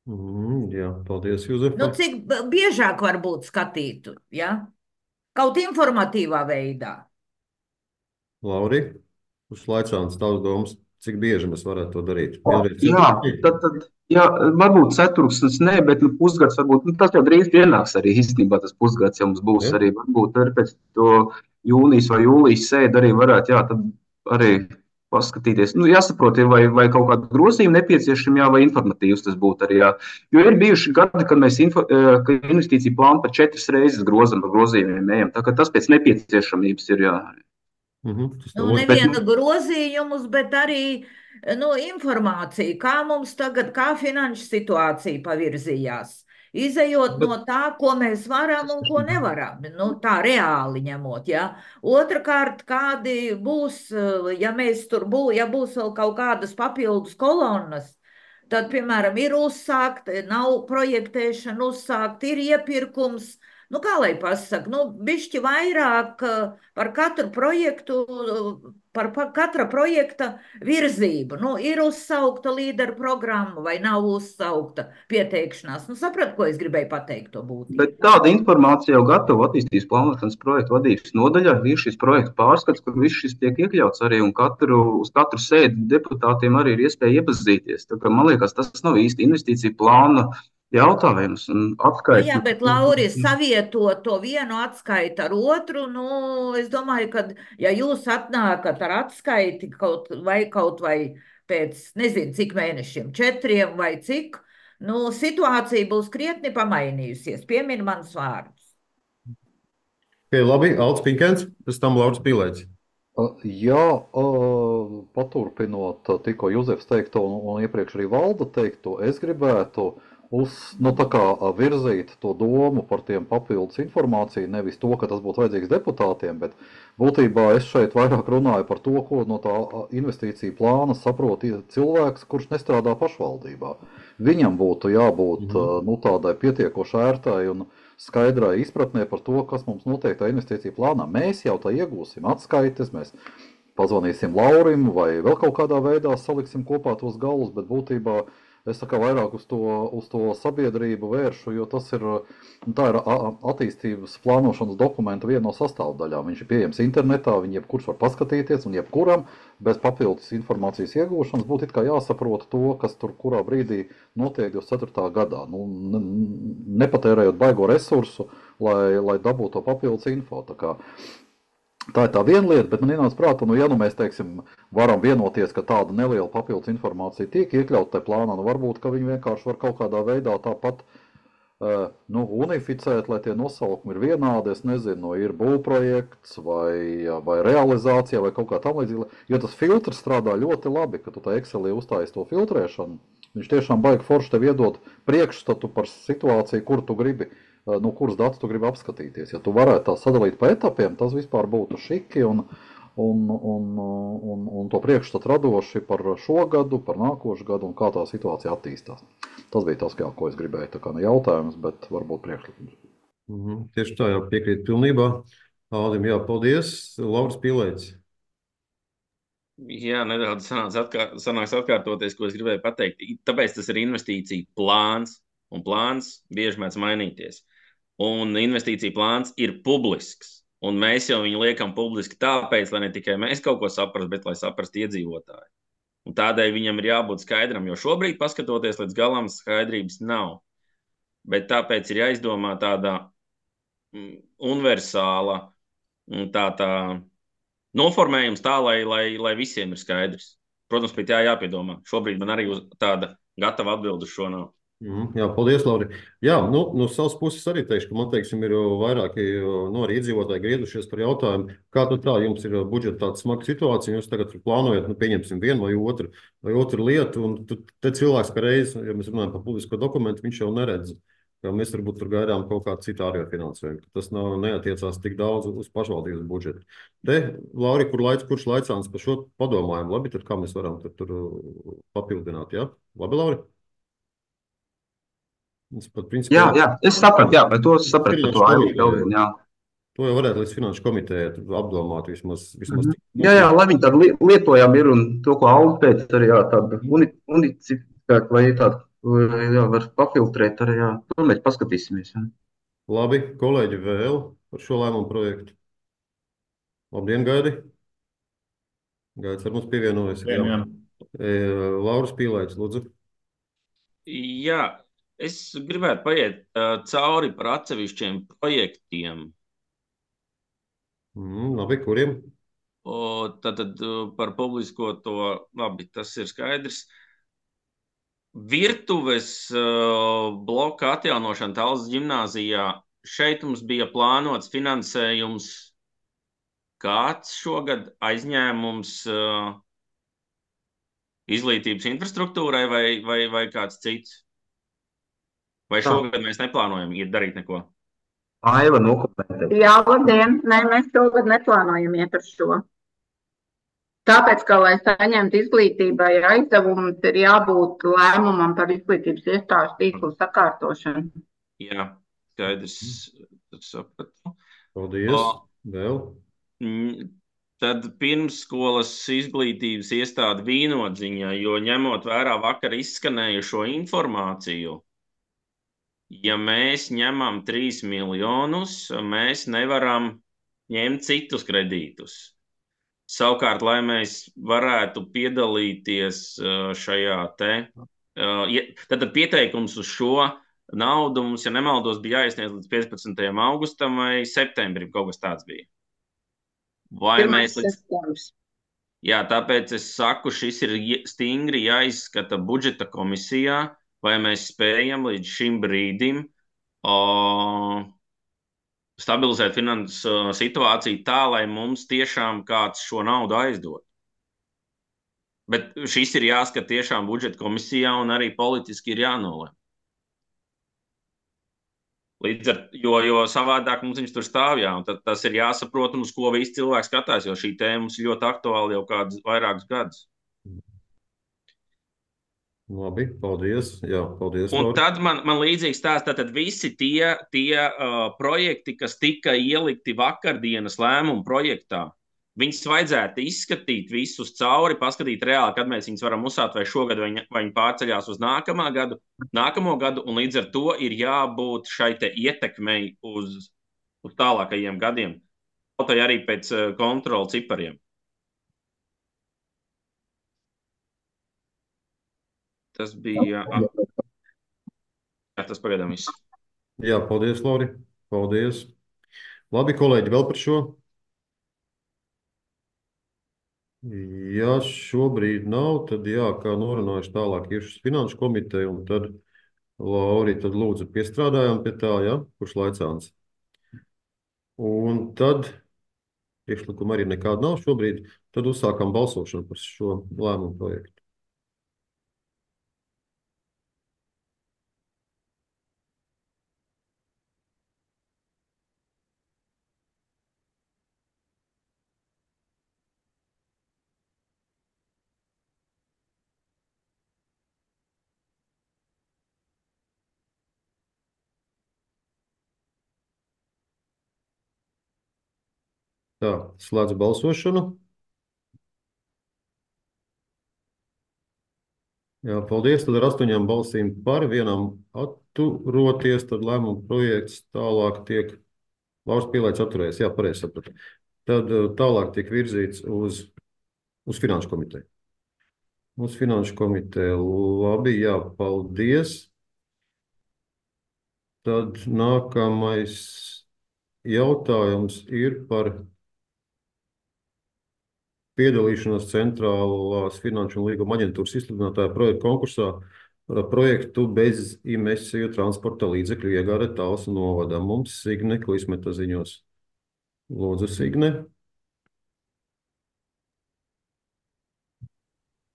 Jā, paldies, Juzefa. Cik biežāk varbūt skatītu, ja? Kaut informatīvā veidā. Lauri, uz Laicāns tavs domas, cik bieži mēs varētu to darīt? Varbūt ceturksnis nē, bet pusgads varbūt, tas jau drīz pienāks arī īstenībā tas pusgads, ja mums būs arī, varbūt arī pēc to jūnijas vai jūlijas sēdi arī varētu, tad arī paskatīties. Jāsaprot, vai kaut kāda grozījuma nepieciešama, vai informatīvs tas būtu arī, Jo ir bijuši gadi, kad mēs investīciju plānu par 4 reizes grozam par grozījumiem ejam, tā ka tas pēc nepieciešamības ir, Neviena grozījumus, bet arī informācija, kā mums tagad, kā finanšu situācija pavirzījās. Izejot no tā, ko mēs varam un ko nevaram, tā reāli ņemot, ja. Otrakārt, kādi būs, ja būs vēl kaut kādas papildus kolonnas, tad, piemēram, ir uzsākt, nav projektēšana uzsākt, ir iepirkums, kā lai pasaka, bišķi vairāk par katru projektu, par katra projekta virzību. Ir uzsaukta līderu programma vai nav uzsaukta pieteikšanās. Saprat, ko es gribēju pateikt to būtību. Bet tāda informācija jau gatava attīstības plānošanas projektu vadības nodaļā. Ir šis projektu pārskats, kur viss šis tiek iekļauts arī, un uz katru sēdi deputātiem arī ir iespēja iepazīties. Tā kā, man liekas, tas nav īsti investīcija plāna jautājums un atskaita. Jā, bet Lauris savietot to vienu atskaitu ar otru, es domāju, ka, ja jūs atnākat ar atskaiti kaut vai pēc, nezinu, cik mēnešiem, 4 vai cik, situācija būs krietni pamainījusies. Piemin manas vārdus. Labi, Alts Pinkens, pēc tam Lauris Pīlēts. Jā, paturpinot tikko Juzefs teikto un iepriekš arī Valda teikto, es gribētu virzīt to domu par tiem papildus informāciju, nevis to, ka tas būtu vajadzīgs deputātiem, bet būtībā es šeit vairāk runāju par to, ko no tā investīcija plāna saprot cilvēks, kurš nestrādā pašvaldībā. Viņam būtu jābūt tādai pietiekoši ērtai un skaidrai izpratnē par to, kas mums notiek tā investīcija plānā. Mēs jau tā iegūsim atskaites, mēs pazvanīsim Laurim vai vēl kaut kādā veidā saliksim kopā tos galus, bet būtībā es vairāk uz to sabiedrību vēršu, jo tā ir attīstības plānošanas dokumenta viena no sastāvdaļām. Viņš ir pieejams internetā, viņu jebkurš var paskatīties, un jebkuram bez papildus informācijas iegūšanas būtu it kā jāsaprot to, kas tur kurā brīdī notiek 24. gadā. Nepatērējot baigo resursu, lai dabūtu to papildus info. Tā ir tā viena lieta, bet man ienāca prātā, ja mēs, teiksim, varam vienoties, ka tāda neliela papildus informācija tiek iekļauta tajā plānā, varbūt, ka viņi vienkārši var kaut kādā veidā tāpat unificēt, lai tie nosaukumi ir vienādi, es nezinu, ir būvprojekts vai realizācija vai kaut kā tam līdzīga, jo tas filtrs strādā ļoti labi, ka tu tā Excelī uztājies to filtrēšanu, viņš tiešām baigi forši tev iedot priekšstatu par situāciju, kur tu gribi, kuras datus tu gribi apskatīties. Ja tu varētu tā sadalīt pa etapiem, tas vispār būtu šiki un to priekšstatu radoši par šo gadu, par nākošu gadu un kā tā situācija attīstās. Tas bija tas, ko es gribēju. Tā kā ne jautājums, bet varbūt priekšlikums. Tieši tā, jā, piekrīt pilnībā. Aldim, jā, paldies. Lauris Pīlēts. Jā, nedaudz sanāks atkārtoties, ko es gribēju pateikt. Tāpēc tas ir investīcija plāns, un plāns bieži mēdz mainīties. Un investīcija plāns ir publisks, un mēs jau viņu liekam publiski tāpēc, lai ne tikai mēs kaut ko saprastu, bet lai saprastu iedzīvotāji. Un tādēļ viņam ir jābūt skaidram, jo šobrīd, paskatoties līdz galam, skaidrības nav. Bet tāpēc ir jāizdomā tāda universāla tā noformējums tā, lai visiem ir skaidrs. Protams, pēc jāpiedomā. Šobrīd man arī tāda gatava atbilde uz šo nav. Jā, paldies, Lauri. Jā, no savas puses arī teikšu, ka man, teiksim, ir vairāki arī iedzīvotāji griedušies par jautājumu, kā tā jums ir budžeta tāda smaga situācija, jūs tagad plānojat, pieņemsim vienu vai otru lietu, un te cilvēks, ka reiz, ja mēs runājam par publisko dokumentu, viņš jau neredz, ka mēs varbūt tur gaidām kaut kādu citu ārējo finansējumu. Tas neatiecās tik daudz uz pašvaldības budžetu. Te, Lauri, kurš laicāns par šo padomājumu? Labi, tad kā mēs varam tur papildināt, jā? Labi, Lauri? Jā, es sapratu, jā, bet to sapratu par to aivu. To jau varētu līdz finanšu komitejai apdomāt vismaz. Jā, lai viņi tādu lietojami ir un to, ko Alda pēc arī tādu unicifikātu vai tādu var papiltrēt arī, to mēs paskatīsimies. Jā. Labi, kolēģi vēl par šo lēmumu projektu. Labdien, Gaidi. Gaidis ar mums pievienojas. Lauris Pīlaitis, lūdzu. Jā. Es gribētu paiet cauri par atsevišķiem projektiem. Labi, kuriem? Tad par publisko to, labi, tas ir skaidrs. Virtuves bloka atjaunošana Tallas ģimnāzijā. Šeit mums bija plānots finansējums. Kāds šogad aizņēmums izglītības infrastruktūrai vai kāds cits? Vai šogad mēs neplānojam darīt neko? Aiva nokomentē. Jā, labdien. Nē, mēs šogad neplānojam iet uz šo. Tāpēc, ka, lai saņemtu izglītībai aizdevumus, ir jābūt lēmumam par izglītības iestāžu tīklu sakārtošanu. Jā, skaidrs. Sapratu. Paldies. Vēl? Tad pirmsskolas izglītības iestāde Vīnodziņa, jo ņemot vērā vakar izskanējušo informāciju, ja mēs ņemam 3 miljonus, mēs nevaram ņemt citus kredītus. Savukārt, lai mēs varētu piedalīties šajā tad pieteikums uz šo naudu mums, ja nemaldos, bija jāiesniedz līdz 15. augustam vai septembrim, kaut kas tāds bija. Vai mēs Jā, tāpēc es saku, šis ir stingri jāizskata budžeta komisijā, vai mēs spējam līdz šim brīdim stabilizēt finansu situāciju tā, lai mums tiešām kāds šo naudu aizdod. Bet šis ir jāskat tiešām budžeta komisijā un arī politiski ir jānolem. Jo savādāk mums viņš tur stāv, jā, un tas ir jāsaprot, un uz ko visi cilvēki skatās, jo šī tēma mums ir ļoti aktuāla jau kādus vairākus gadus. Labi, paldies. Jā, paldies. Un tad man līdzīgi stāsta, tad visi tie projekti, kas tika ielikti vakardienas lēmumu projektā, viņus vajadzētu izskatīt visus cauri, paskatīt reāli, kad mēs viņus varam uzsākt, vai šogad vai viņi pārceļās uz nākamo gadu, un līdz ar to ir jābūt šai te ietekmei uz tālākajiem gadiem, kaut arī pēc kontrola cipariem. Tas bija tas pagaidām viss. Jā, paldies, Lauri. Paldies. Labi, kolēģi, vēl par šo? Ja šobrīd nav, tad jā, kā norunājuši tālāk ir šis finanšu komiteja, un tad, Lauri, tad lūdzu piestrādājām pie tā, jā, kurš laicāns. Un tad, priekšlikuma arī nekāda nav šobrīd, tad uzsākam balsošanu par šo lēmumu projektu. Tā, slēdzu balsošanu. Jā, paldies. Tad ar 8 balsīm par, 1 atturoties, tad lēmuma projekts tālāk tiek, Lauris Pīlaitis atturējies, jā, pareizi sapratu. Tad tālāk tiek virzīts uz finanšu komiteju. Mūsu finanšu komiteja. Labi, jā, paldies. Tad nākamais jautājums ir par piedalīšanos Centrālās finanšu un līguma aģentūras izsludinātāja projekta konkursā par projektu bez emisiju transporta līdzekļu iegāde Talsu novadā. Mums Signe Klismeta ziņos. Lūdzu, Signe.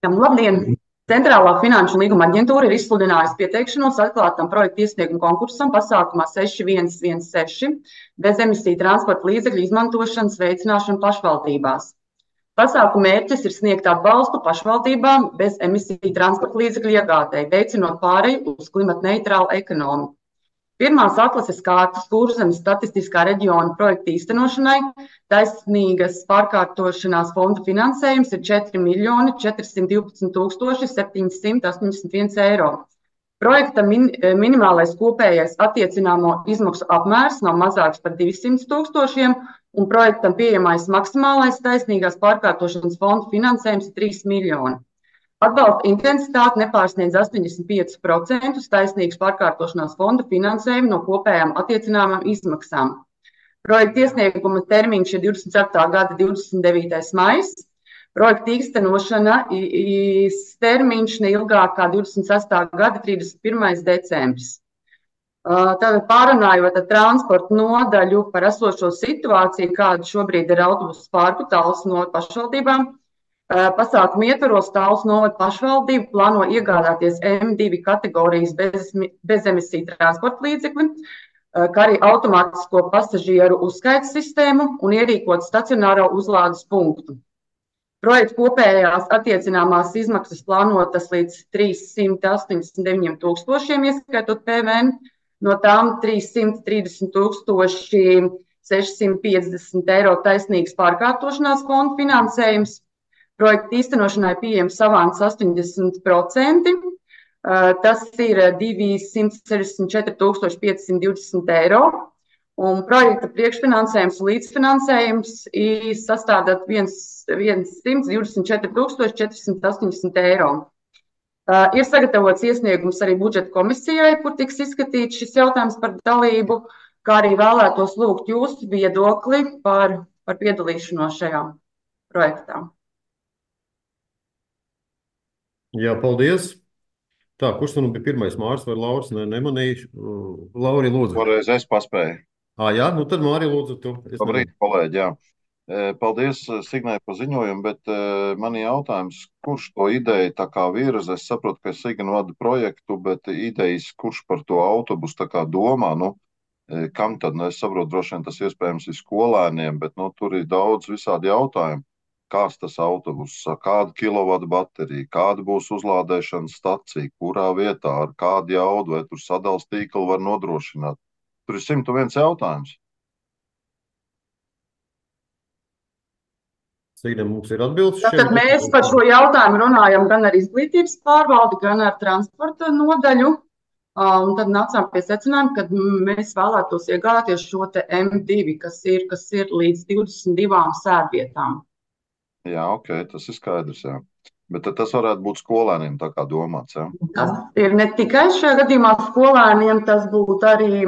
Labdien! Centrālā finanšu un līguma aģentūra ir izsludinājusi pieteikšanos atklātam projektu iesniegumu konkursam pasākumā 6116 bez emisiju transporta līdzekļu izmantošanas veicināšanu pašvaldībās. Pasākuma mērķis ir sniegt atbalstu pašvaldībām bez emisiju transporta līdzekļu iegādēji, veicinot pāreju uz klimatneitrālu ekonomiku. Pirmās atlases kārtas Kurzemes statistiskā reģiona projekta īstenošanai taisnīgas pārkārtošanās fonda finansējums ir 4 412 781 eiro. Projekta minimālais kopējais attiecināmo izmaksu apmērs nav mazāks par 200 000 un projektam pieejamais maksimālais taisnīgās pārkārtošanas fonda finansējums ir 3 miljoni. Atbalsta intensitāte nepārsniedz 85% taisnīgas pārkārtošanās fonda finansējumu no kopējām attiecināmām izmaksām. Projekta iesnieguma termiņš ir 24. gada 29. maijs. Projekta īstenošana termiņš neilgāk kā 26. gada 31. decembris. Tātad pārunājot ar transporta nodaļu par esošo situāciju, kāda šobrīd ir autobusu parku Talsu novada pašvaldībām, pasākumu ietvaros Talsu novada pašvaldība plāno iegādāties M2 kategorijas bezemisiju transporta līdzekli, kā arī automātisko pasažieru uzskaites sistēmu un ierīkot stacionāro uzlādes punktu. Projekta kopējās attiecināmās izmaksas plānotas līdz 389 000, ieskaitot PVN, no tām 330 650 eiro taisnīgas pārkārtošanās fonda finansējums. Projekta īstenošanai pieejams avans 80%, tas ir 264 520 eiro, un projekta priekšfinansējums un līdzfinansējums sastāda 124 480 eiro. Ir sagatavots iesniegums arī budžeta komisijai, kur tiks izskatīts šis jautājums par dalību, kā arī vēlētos lūgt jūsu viedokli par piedalīšanos šajā projektā. Jā, paldies. Tā, kurš nu bija pirmais, Māris vai Lauris? Nemanīju. Lauri, lūdzu. Toreiz es paspēju. Jā, nu tad Māri, lūdzu, tu. Labrīt, kolēģi, jā. Paldies Signai par ziņojumu, bet man ir jautājums, kurš to ideju tā kā virza? Es saprotu, ka Signa vada projektu, bet idejas, kurš par to autobusu tā kā domā, kam tad? Es saprotu, droši vien tas iespējams ir skolēniem, bet tur ir daudz visādi jautājumi. Kāds tas autobuss, kāda kilovata baterija, kāda būs uzlādēšanas stacija, kurā vietā, ar kādu jaudu, vai tur sadales tīklu var nodrošināt. Tur ir 101 jautājums. Signe, mums ir atbildes šeit. Tad mēs par šo jautājumu runājam gan ar izglītības pārvaldi, gan ar transporta nodaļu. Un tad nācām pie secinājuma, ka mēs vēlētos iegādāties šo te M2, kas ir līdz 22 sēdvietām. Jā, ok, tas ir skaidrs, jā. Bet tas varētu būt skolēniem tā kā domāts, jā? Tas ir ne tikai šajā gadījumā skolēniem, tas būtu arī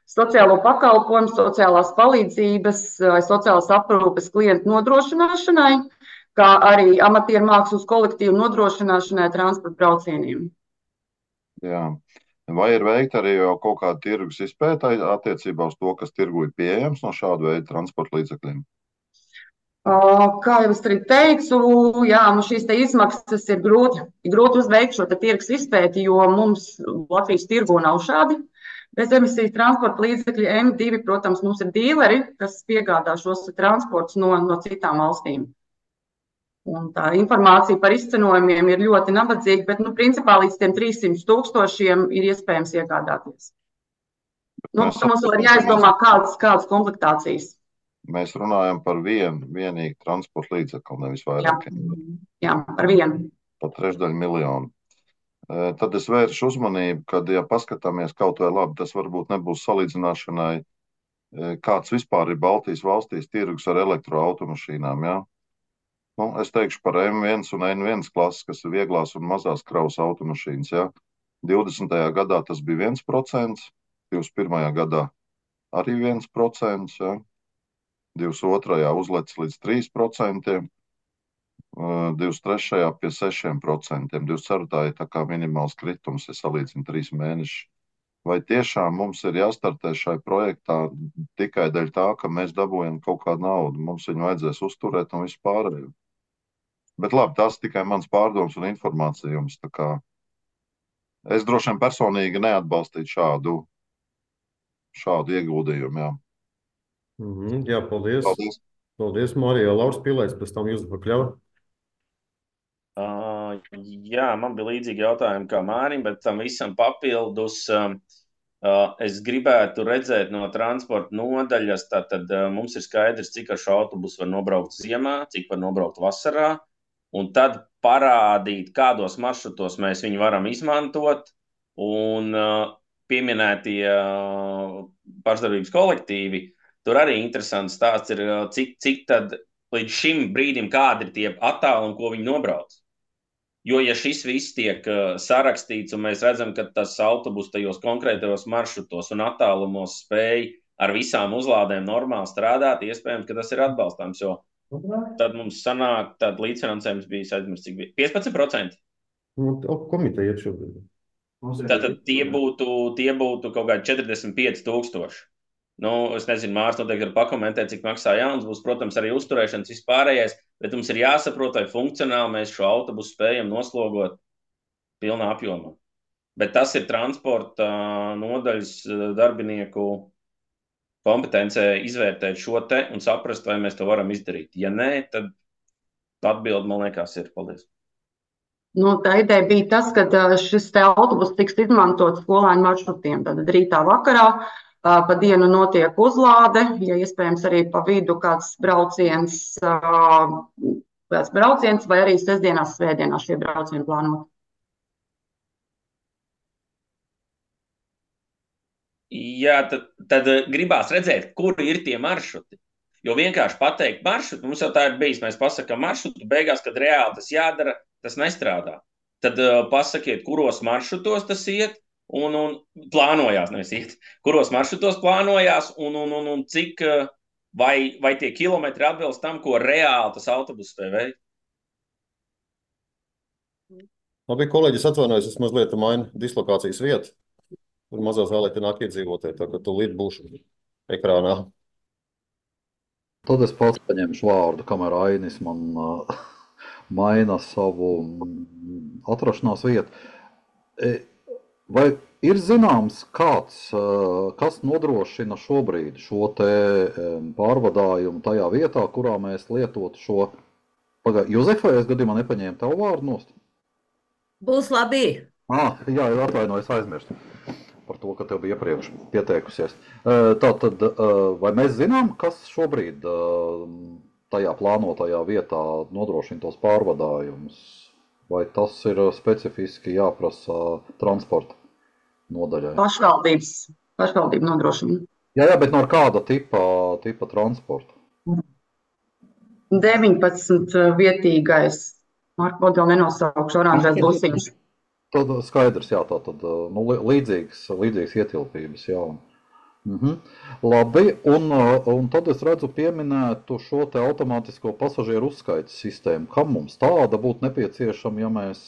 sociālo pakalpojumu, sociālās palīdzības vai sociālās aprūpes klientu nodrošināšanai, kā arī amatieru mākslas kolektīvu nodrošināšanai transporta braucieniem. Jā. Vai ir veikta arī jau kaut kāda tirgus izpēta attiecībā uz to, kas tirgu ir pieejams no šāda veida transporta līdzekļiem? Kā jau es arī teicu, jā, šīs te izmaksas ir grūti uzveikt šo tirgus izpēti, jo mums Latvijas tirgu nav šādi bezemisiju transporta līdzekļi M2. Protams, mums ir dīleri, kas piegādā šos transportus no citām valstīm. Un tā informācija par izcenojumiem ir ļoti nabadzīga, bet principā līdz tiem 300 000 ir iespējams iegādāties. Mums vēl ir jāizdomā kādas komplektācijas. Mēs runājam par vienīgu transporta līdzekli, nevis vairāk. Jā, par vienu. Par 3/3 miljonu. Tad es vēršu uzmanību, kad, ja paskatāmies kaut vai labi, tas varbūt nebūs salīdzināšanai, kāds vispār ir Baltijas valstīs tirgus ar elektroautomašīnām, jā? Es teikšu par M1 un N1 klases, kas ir vieglās un mazās kravas automašīnas. Ja? 20. gadā tas bija 1%, 21. gadā arī 1%, ja? 22. uzlecis līdz 3%, 23. pie 6%, 24. ir tā kā minimāls kritums, ja salīdzinu 3 mēnešus. Vai tiešām mums ir jāstartē šai projektā tikai dēļ tā, ka mēs dabūjam kaut kādu naudu? Mums viņu vajadzēs uzturēt un visu pārējo. Bet labi, tas tikai mans pārdoms un informācija jums. Tā kā es droši vien personīgi neatbalstītu šādu ieguldījumu. Jā, Jā, paldies. paldies. Paldies, Marija. Lauris Pilējs, pēc tam jūs pakļauj. Jā, man bija līdzīgi jautājumi kā Mārim, bet tam visam papildus es gribētu redzēt no transporta nodaļas, tātad mums ir skaidrs, cik ar šo autobusu var nobraukt ziemā, cik var nobraukt vasarā, un tad parādīt, kādos maršrutos mēs viņu varam izmantot, un pieminētie pašdarbības kolektīvi, tur arī interesants stāsts ir, cik tad līdz šim brīdim kādi ir tie attālumi, ko viņi nobrauc. Jo, ja šis viss tiek sarakstīts un mēs redzam, ka tas autobus tajos konkrētajos maršrutos un attālumos spēj ar visām uzlādēm normāli strādāt, iespējams, ka tas ir atbalstāms, jo tad mums sanāk, tad līdzfinansējums bija, aizmirst, cik bija 15%. Komiteja ir šobrīd. Tātad tie būtu kaut kādi 45,000. Es nezinu, Mārs noteikti var pakomentēt, cik maksā jauns būs, protams, arī uzturēšanas vispārējais, bet mums ir jāsaprot, vai funkcionāli mēs šo autobusu spējam noslogot pilnā apjomā. Bet tas ir transporta nodaļas darbinieku kompetencē izvērtēt šo te un saprast, vai mēs to varam izdarīt. Ja nē, tad atbildi, man liekas, ir. Paldies. Tā ideja bija tas, ka šis te autobus tiks izmantots skolēnu maršrutiem. Tad rītā vakarā pa dienu notiek uzlāde, ja iespējams arī pa vidu kāds brauciens vai arī sestdienās, svētdienās šie braucieni plānot. Jā, tad gribās redzēt, kur ir tie maršruti. Jo vienkārši pateikt maršrutu, mums jau tā ir bijis, mēs pasakām maršrutu, beigās, kad reāli tas jādara, tas nestrādā. Tad pasakiet, kuros maršrutos tas iet, un plānojās, nevis iet, kuros maršrutos plānojās, un cik, vai tie kilometri atbilst tam, ko reāli tas autobus spēj veikt. Labi, kolēģis atvainojas, es mazliet mainu dislokācijas vietu. Tur mazā zālē te nāk iedzīvotāji, tā ka tūlīt būšu ekrānā. Tad es pats paņemšu vārdu, kamēr Ainis man maina savu atrašanās vietu. Vai ir zināms kāds, kas nodrošina šobrīd šo te pārvadājumu tajā vietā, kurā mēs lietotu šo... Jozefai, es gadījumā nepaņēmu tavu vārdu nost? Būs labi. Jā, atvainojos, aizmirstu par to, ka tev bija iepriekš pieteikusies. Tātad, vai mēs zinām, kas šobrīd tajā plānotajā vietā nodrošina tos pārvadājumus? Vai tas ir specifiski jāprasa transporta nodaļai? Pašvaldība nodrošina. Jā, bet no kāda tipa transporta? 19 vietīgais, Marko vēl nenosaukšu, oranžais busiņš. Tad skaidrs, jā, tātad līdzīgas ietilpības, jā. Labi, un tad es redzu pieminētu šo te automātisko pasažieru uzskaites sistēmu. Kam mums tāda būtu nepieciešama, ja mēs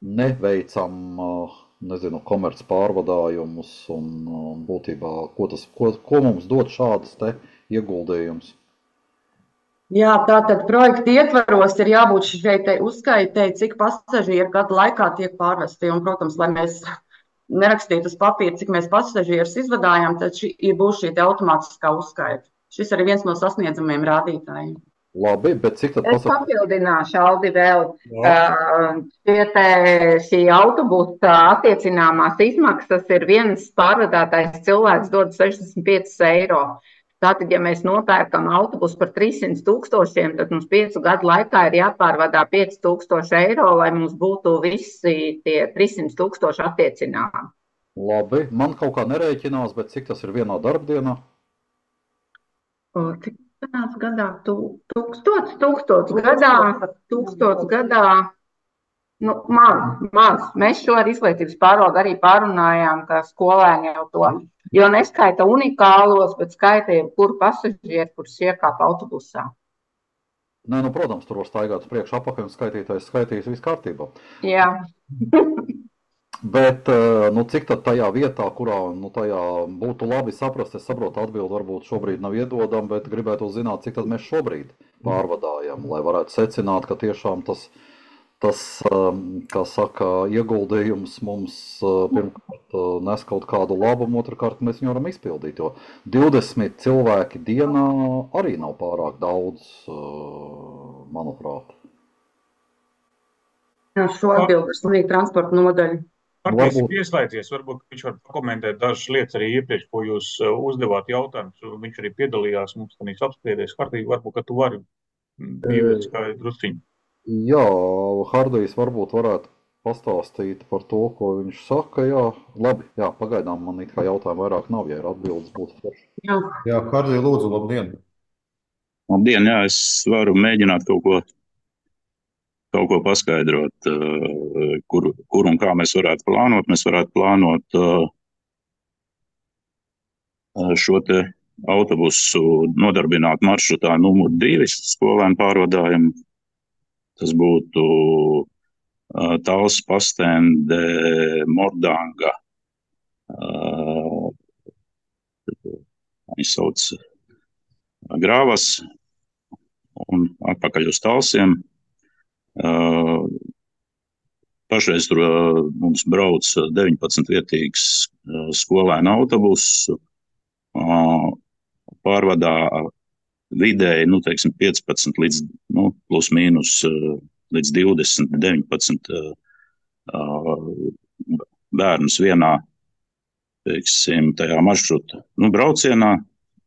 neveicam, komerc pārvadājumus un būtībā, ko mums dod šādas te ieguldījums? Jā, tātad projekta ietvaros ir jābūt šeit uzskaitei, cik pasažieri gadu laikā tiek pārvesti. Un, protams, lai mēs nerakstītu uz papīra, cik mēs pasažierus izvadājam, tad būs šī automātiskā uzskaita. Šis arī viens no sasniedzamiem rādītājiem. Labi, bet cik tad pasaka? Es papildināšu, Aldi, vēl. Šī autobusa attiecināmās izmaksas ir viens pārvadātais cilvēks dod 65 eiro. Tātad, ja mēs nopērkam autobusu par 300,000, tad mums 5 gadu laikā ir jāpārvadā 5,000 eiro, lai mums būtu visi tie 300,000 attiecināmi. Labi, man kaut kā nerēķinās, bet cik tas ir vienā darbdienā? Sanāca gadā 1000 gadā. Nu, maz. Mēs šo ar izglītības pārvaldu arī pārunājām, ka skolēni jau to, jo neskaita unikālos, bet skaita jebkuru pasažieru, kurš iekāp autobusā. Nē, nu, protams, tur var staigāt uz priekšu apakaļ un skaitītājs skaitīs viss kārtībā. Jā. Bet, nu, cik tad tajā vietā, kurā, nu, tajā būtu labi saprast, es saprotu, atbildi varbūt šobrīd nav iedodama, bet gribētu zināt, cik tad mēs šobrīd pārvadājam, lai varētu secināt, ka tiešām tas, kā saka, ieguldījums mums pirmkārt nes kaut kādu labumu, otrkārt mēs viņu varam izpildīt, jo 20 cilvēki dienā arī nav pārāk daudz, manuprāt. Jā, šo atbildi ir slimīgi transporta nodaļa. Partijas ir ieslēdzies, varbūt viņš var pakomentēt dažas lietas arī iepriekš, ko jūs uzdevāt jautājumus. Viņš arī piedalījās mums tanīs apspriedēs. Hardij, varbūt, ka tu vari pievērt skaidru drusciņu. Jā, Hardijs varbūt varētu pastāstīt par to, ko viņš saka. Jā, labi, jā, pagaidām man it kā jautājumu vairāk nav, ja ir atbildes būtu forši. Jā, Hardij, lūdzu, labdien. Labdien, jā, es varu mēģināt kaut ko paskaidrot, kur un kā mēs varētu plānot. Mēs varētu plānot šo te autobusu nodarbināt maršrutā numur 2 skolēnu pārvadājumu. Tas būtu Talsu Pastende, Mordanga, viņi sauc Grāvas un atpakaļ uz Talsiem. Pašreiz tur mums brauc 19 vietīgs skolēnu autobusu, pārvadā vidēji, nu, teiksim, 15 līdz, nu, plus mīnus līdz 20, 19 bērnus vienā, teiksim, tajā maršruta, nu, braucienā,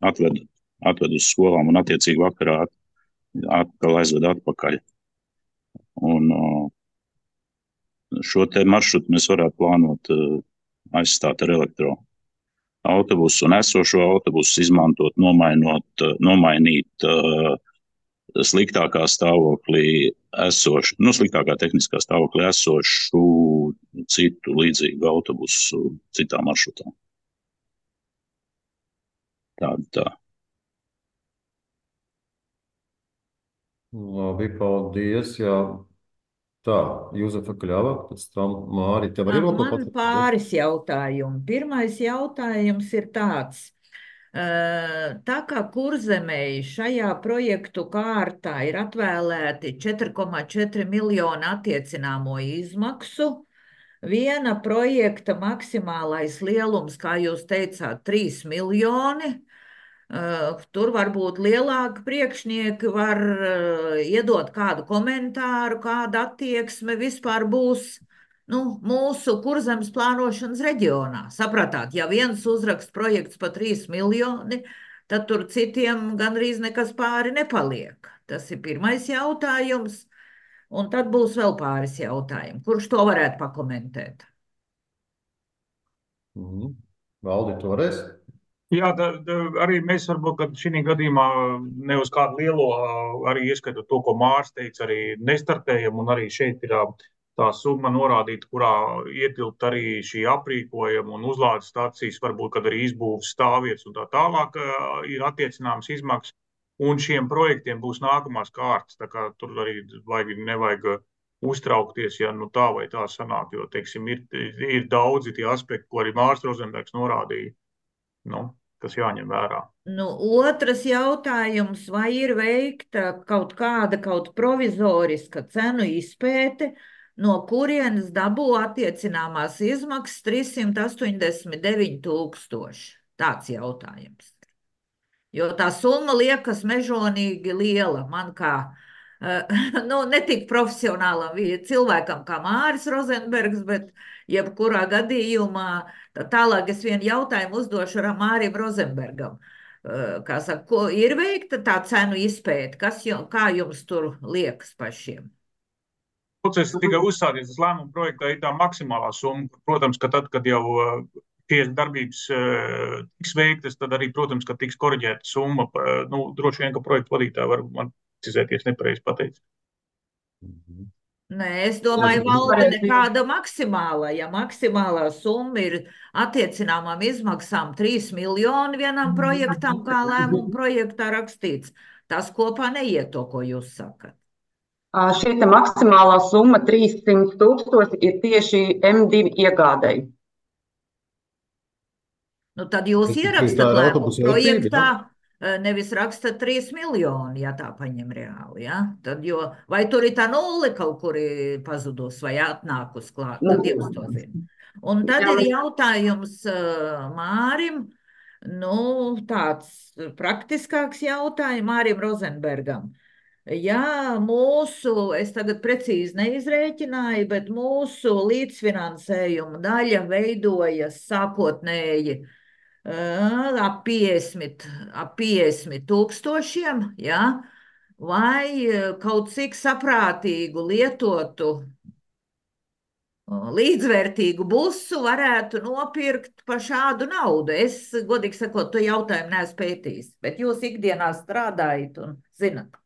atved uz skolām un attiecīgi vakarā atkal aizved atpakaļ. Un šo te maršrutu mēs varētu plānot aizstāt ar elektroautobusu un esošo autobusu izmantot, nomainīt sliktākā stāvoklī esošu, nu, sliktākā tehniskā stāvoklī esošu citu līdzīgu autobusu citā maršrutā. Tā. Labi, paldies. Jā. Tā, Juzefa Kļava, pēc tam Māri, tev arī vēl ko Man pateikt? pāris jautājumi. Pirmais jautājums ir tāds. Tā kā Kurzemei šajā projektu kārtā ir atvēlēti 4,4 miljoni attiecināmo izmaksu, viena projekta maksimālais lielums, kā jūs teicāt, 3 miljoni. Tur varbūt lielāki priekšnieki var iedot kādu komentāru, kāda attieksme vispār būs, nu, mūsu Kurzemes plānošanas reģionā. Sapratāt, ja viens uzrakst projekts pa 3 miljoni, tad tur citiem gandrīz nekas pāri nepaliek. Tas ir pirmais jautājums, un tad būs vēl pāris jautājumi. Kurš to varētu pakomentēt? Valdi, tu varēsi? Jā, arī mēs varbūt, ka šī gadījumā ne uz kādu lielo, arī ieskatot to, ko Mārs teica, arī nestartējam, un arī šeit ir tā summa norādīta, kurā ietilpt arī šī aprīkojuma un uzlādes stācijas, varbūt, kad arī izbūves stāvvietas un tā tālāk ir attiecināmas izmaksas, un šiem projektiem būs nākamās kārtas, tā kā tur arī nevajag uztraukties, ja nu tā vai tā sanāk, jo, teiksim, ir daudzi tie aspekti, ko arī Mārs Rozenbergs norādīja, nu, kas jāņem vērā. Nu, otrs jautājums, vai ir veikta kaut provizoriska cenu izpēte, no kurienes dabū attiecināmās izmaksas 389 000? Tāds jautājums. Jo tā summa liekas mežonīgi liela man kā, nu, ne tik profesionālam cilvēkam kā Māris Rozenbergs, bet jebkurā gadījumā, tālāk es vienu jautājumu uzdošu Mārim Rozenbergam. Kā saka, ir veikta tā cenu izpēte? Kā jums tur liekas pašiem? Process tikai uzsācies, tas lēmuma projektā ir tā maksimālā summa. Protams, ka tad, kad jau šīs darbības tiks veiktas, tad arī, protams, ka tiks koriģēta summa. Droši vien, ka projektu vadītāji var man precizēties nepareizi pateikt. Nē, es domāju, valde nekāda maksimāla. Ja maksimālā summa ir attiecināmām izmaksām 3 miljoni vienam projektam, kā lēmuma projektā rakstīts, tas kopā neiet to, ko jūs sakat. Šī te maksimālā summa 300 000 ir tieši M2 iegādēji. Nu, tad jūs ierakstat lēmumu projektā, nevis rakstat 3 miljoni, ja tā paņem reāli, ja? Tad, vai tur ir tā nulle kaut kur pazudus vai atnākus klāt, tad jūs to zina. Un tad ir jautājums Mārim, tāds praktiskāks jautājums Mārim Rozenbergam. Ja es tagad precīzi neizrēķināju, bet mūsu līdzfinansējuma daļa veidojas sākotnēji ap 50 000, ja? Vai kaut cik saprātīgu lietotu līdzvērtīgu busu varētu nopirkt par šādu naudu. Es, godīgi sakot, to jautājumu neesmu pētījis, bet jūs ikdienā strādājat un zinat.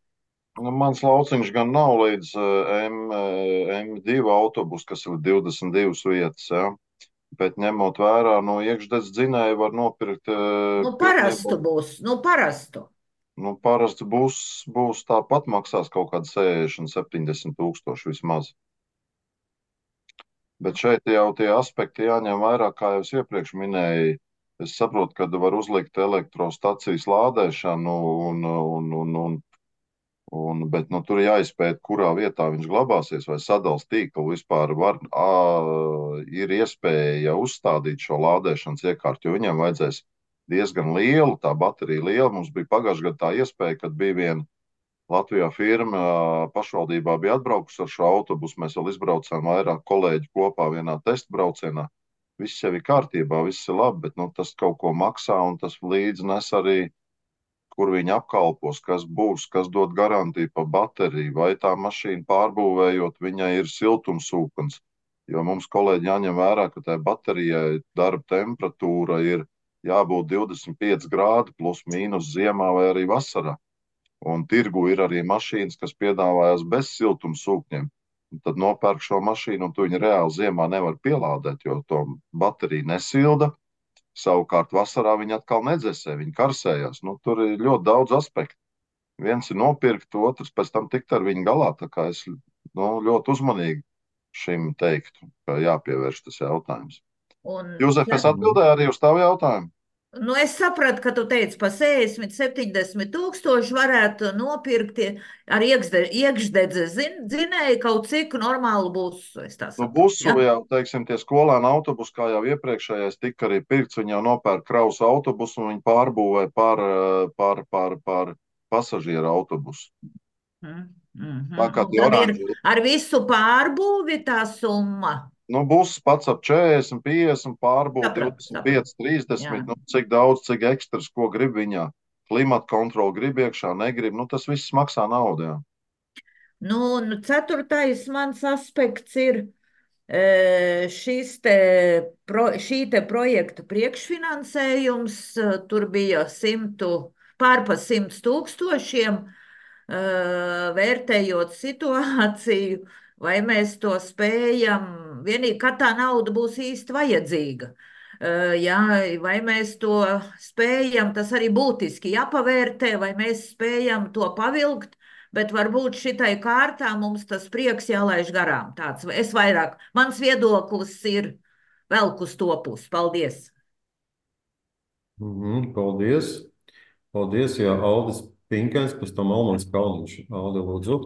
Mans lauciņš gan nav līdz M2 autobus, kas ir 22 vietas, ja? Bet ņemot vērā, iekšdedz dzinēju var nopirkt. Parastu būs, parastu. Parasts būs tāpat maksās kaut kāda 60-70 tūkstoši vismaz. Bet šeit jau tie aspekti jāņem vērā, kā jau es iepriekš minēju. Es saprotu, ka var uzlikt elektrostacijas lādēšanu bet tur jāizpēt, kurā vietā viņš glabāsies, vai sadals tīklu vispār ir iespēja uzstādīt šo lādēšanas iekārtu, jo viņam vajadzēs diezgan lielu, tā baterija liela. Mums bija pagājušajā gadā tā iespēja, kad bija viena Latvijā firma pašvaldībā bija atbraukusi ar šo autobusu. Mēs vēl izbraucām vairāk kolēģi kopā vienā testa braucienā. Viss jau ir kārtībā, viss ir labi, bet tas kaut ko maksā un tas līdzi nes arī kur viņi apkalpos, kas būs, kas dod garantiju par bateriju, vai tā mašīna pārbūvējot, viņai ir siltumsūknis. Jo mums, kolēģi, jāņem vērā, ka tai baterijai darba temperatūra ir jābūt 25 grādi plus mīnus ziemā vai arī vasarā. Un tirgu ir arī mašīnas, kas piedāvājas bez siltumsūkņiem. Tad nopērk šo mašīnu un tu viņu reāli ziemā nevar pielādēt, jo to bateriju nesilda. Savukārt vasarā viņi atkal nedzesē, viņi karsējās. Tur ir ļoti daudz aspektu. Viens ir nopirkt, otrs pēc tam tikt ar viņu galā. Tā kā es ļoti uzmanīgi šim teiktu, ka jāpievērš tas jautājums. Jūzef, es atbildēju arī uz tavu jautājumu. Es sapratu, ka tu teici, pa 60-70 tūkstoši varētu nopirkt ar iekšdedze dzinēju kaut cik normālu busu. Busu jau, teiksim, tie skolēnu autobusi, kā jau iepriekšējais tika arī pirkts, viņi jau nopērk kravas autobusu un viņi pārbūvē par pasažieru autobusu. Ar visu pārbūvi tā summa? Buss pats ap 40, 50, pārbūt 25, 30, cik daudz, cik ekstras, ko grib viņā. Klimata kontroli grib iekšā, negrib, tas viss maksā naudu, jā. Ceturtais mans aspekts ir šī te projekta priekšfinansējums, tur bija pārpa 100 000, vērtējot situāciju, vai mēs to spējam, vienīgi, kad tā nauda būs īsti vajadzīga. Vai mēs to spējam, tas arī būtiski jāpavērtē, vai mēs spējam to pavilkt, bet varbūt šitai kārtā mums tas prieks jālaiž garām. Mans viedoklis ir velk uz to pusi. Paldies! Paldies! Paldies, jā, Aldis Pinkens, pēc tam Almans Kalniņš. Aldi, lūdzu.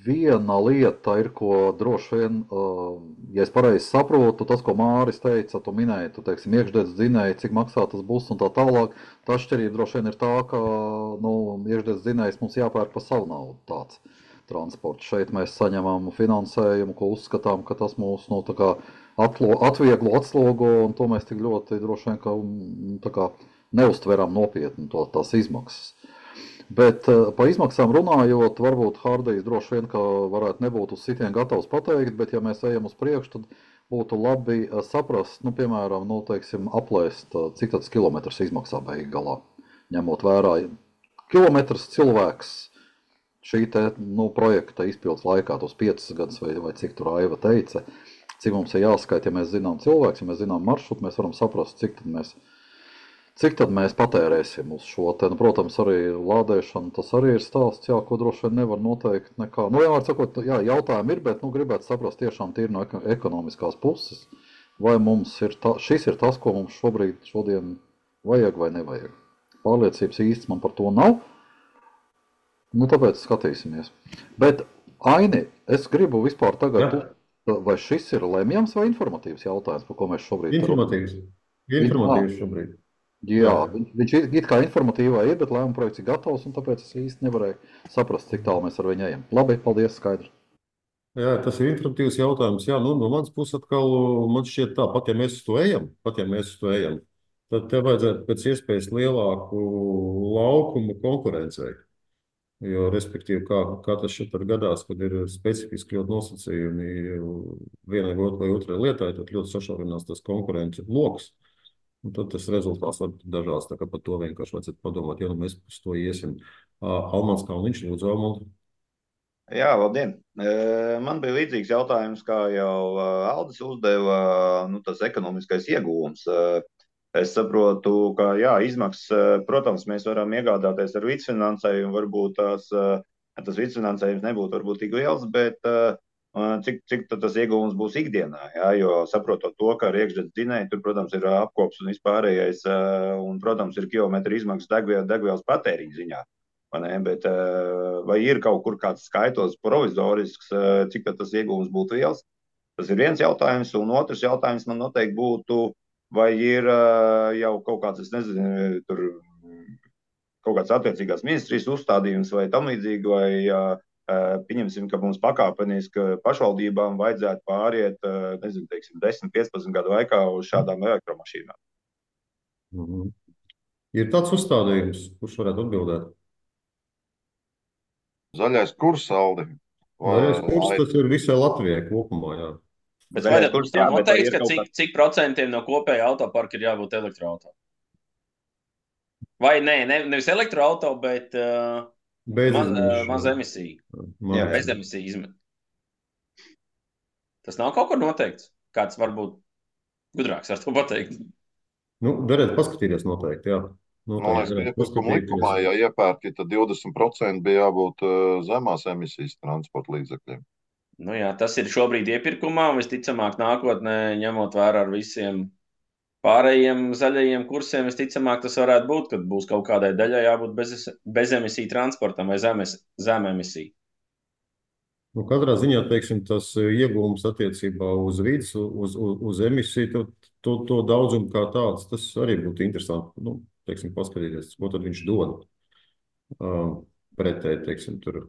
Viena lieta ir, ko droši vien, ja es pareizi saprotu, tas, ko Māris teica, tu minēji, teiksim, iekšdedz dzinēji, cik maksā tas būs un tā tālāk. Tā atšķirība droši vien ir tā, ka iekšdedz dzinējs mums jāpērk pa savu naudu tāds transports. Šeit mēs saņemam finansējumu, ko uzskatām, ka tas mūs atvieglo, atslogo, un to mēs tik ļoti droši vien neuztveram nopietni tās izmaksas. Bet pa izmaksām runājot, varbūt Hārdijs droši vien, ka varētu nebūt uz sitienu gatavs pateikt, bet ja mēs ejam uz priekšu, tad būtu labi saprast, nu, piemēram, nu, teiksim, aplēst, cik tāds kilometrs izmaksā beigu galā, ņemot vērā kilometrs cilvēks šī te, nu, projekta izpildes laikā, tos 5 gadus vai cik tur Aiva teica, cik mums ir jāskaita, ja mēs zinām cilvēks, ja mēs zinām maršrutu, mēs varam saprast, cik tad mēs patērēsim uz šo te, nu, protams, arī lādēšana, tas arī ir stāsts, jā, ko droši vien nevar noteikt nekā. Nu, jā, sakot, jā, jautājumi ir, bet, nu, gribētu saprast tiešām tīri no ekonomiskās puses, vai mums ir šis ir tas, ko mums šodien vajag vai nevajag. Pārliecības īsti man par to nav, nu, tāpēc skatīsimies. Bet, Aini, es gribu vispār tagad, vai šis ir lemjams vai informatīvs jautājums, par ko mēs šobrīd Informatīvs šobrīd. Jā, viņš it kā informatīvā ir, bet lēmuma projekts ir gatavs, un tāpēc es īsti nevarēju saprast, cik tālu mēs ar viņu ejam. Labi, paldies, skaidrs. Jā, tas ir informatīvs jautājums. Jā, nu, no manas puses atkal man šķiet tā, pat ja mēs uz to ejam, tad te vajadzētu pēc iespējas lielāku laukumu konkurencei. Jo, respektīvi, kā tas šeit gadās, kad ir specifiski ļoti nosacījumi vienai vai otrai lietai, tad ļoti sašaurinās tas konkurences loks. Un tad tas rezultāts var būt dažāds, tā kā par to vienkārši vajadzētu padomāt, ja nu mēs uz to iesim. Almans Kalniņš, lūdzu, Almans. Jā, labdien. Man bija līdzīgs jautājums, kā jau Aldis uzdeva, nu, tas ekonomiskais ieguvums. Es saprotu, ka, jā, izmaksas, protams, mēs varam iegādāties ar līdzfinansējumu, varbūt tas līdzfinansējums nebūtu varbūt tik liels, bet cik tas ieguvums būs ikdienā, jā, jo saprotot to, ka ar iekšzemes dzinēju, tur, protams, ir apkops un vispārējais, un, protams, ir kilometru izmaksas degvielas patēriņa ziņā, vai ne, bet vai ir kaut kur kāds skaitlis provizorisks, cik tas ieguvums būtu liels? Tas ir viens jautājums, un otrs jautājums man noteikti būtu, vai ir jau kaut kāds, es nezinu, tur kaut kāds attiecīgās ministrijas uzstādījums vai tam līdzīgi, vai pieņemsim, ka mums pakāpeniski pašvaldībām vajadzētu pāriet, nezinu, teiksim, 10-15 gadu laikā uz šādām elektromašīnām. Ir tāds uzstādījums, kurš varētu atbildēt? Zaļais kurs, Aldi. Zaļais kurs, tas ir visai Latvijai kopumā, jā. Bet vai tur tiek noteikts, ka cik procentiem no kopēja autoparka ir jābūt elektroauto? Vai nevis elektroauto, bet maz emisiju. Bez emisiju izmet. Tas nav kaut kur noteikts. Kāds varbūt gudrāks var to pateikt. Nu, derētu paskatīties noteikti, jā. Man liekas, ka iepirkuma likumā, ja iepērki, tad 20% bija jābūt zemās emisijas transporta līdzekļiem. Nu jā, tas ir šobrīd iepirkumā, un visticamāk nākotnē, ņemot vērā ar visiem pārējiem zaļajiem kursiem, visticamāk tas varētu būt, kad būs kaut kādai daļai jābūt bez emisiju transportam vai zem emisiju. Nu, katrā ziņā, teiksim, tas ieguvums attiecībā uz vidas, uz emisiju, to daudzumu kā tāds, tas arī būtu interesanti, nu, teiksim, paskatīties, ko tad viņš dod pretēji, teiksim, tur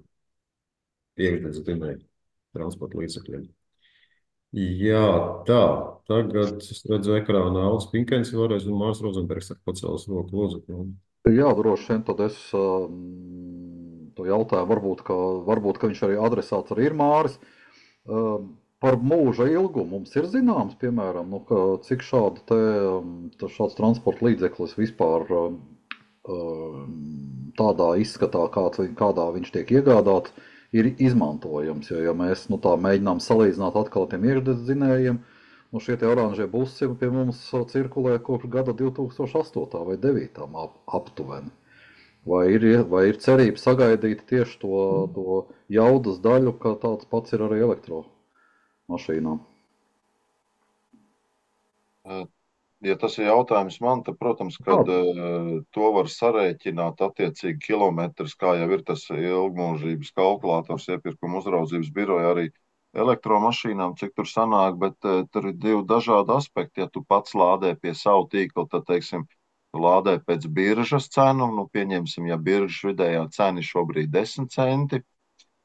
iekšzemes dzinēju transporta līdzekļiem. Jā, tā, tagad es redzu ekrānā Aldis Pinkens vēlreiz un Mārs Rozenbergs ar pacēlas roku, lūdzu. Jā, droši vien, tad es to jautāju, varbūt, ka viņš arī adresāts arī ir Māris. Par mūža ilgumu mums ir zināms, piemēram, nu, cik šāds transporta līdzeklis vispār tādā izskatā, kādā viņš tiek iegādāts, ir izmantojams, jo ja mēs tā mēģinām salīdzināt atkal tiem iekšzemes dzinējiem, nu šie oranžie busi pie mums cirkulē kopš gada 2008. vai 2009. aptuveni. Vai ir cerība sagaidīt tieši to jaudas daļu, ka tāds pats ir arī elektromašīnām? Ja tas ir jautājums man, tad, protams, kad to var sarēķināt attiecīgi kilometrus, kā jau ir tas ilgmūžības kalkulators iepirkuma uzraudzības biroja arī elektromašīnām, cik tur sanāk, bet tur ir divi dažādi aspekti. Ja tu pats lādē pie savu tīklu, tad, teiksim, tu lādē pēc biržas cenu, nu pieņemsim, ja biržas vidējā cena šobrīd 10 centi,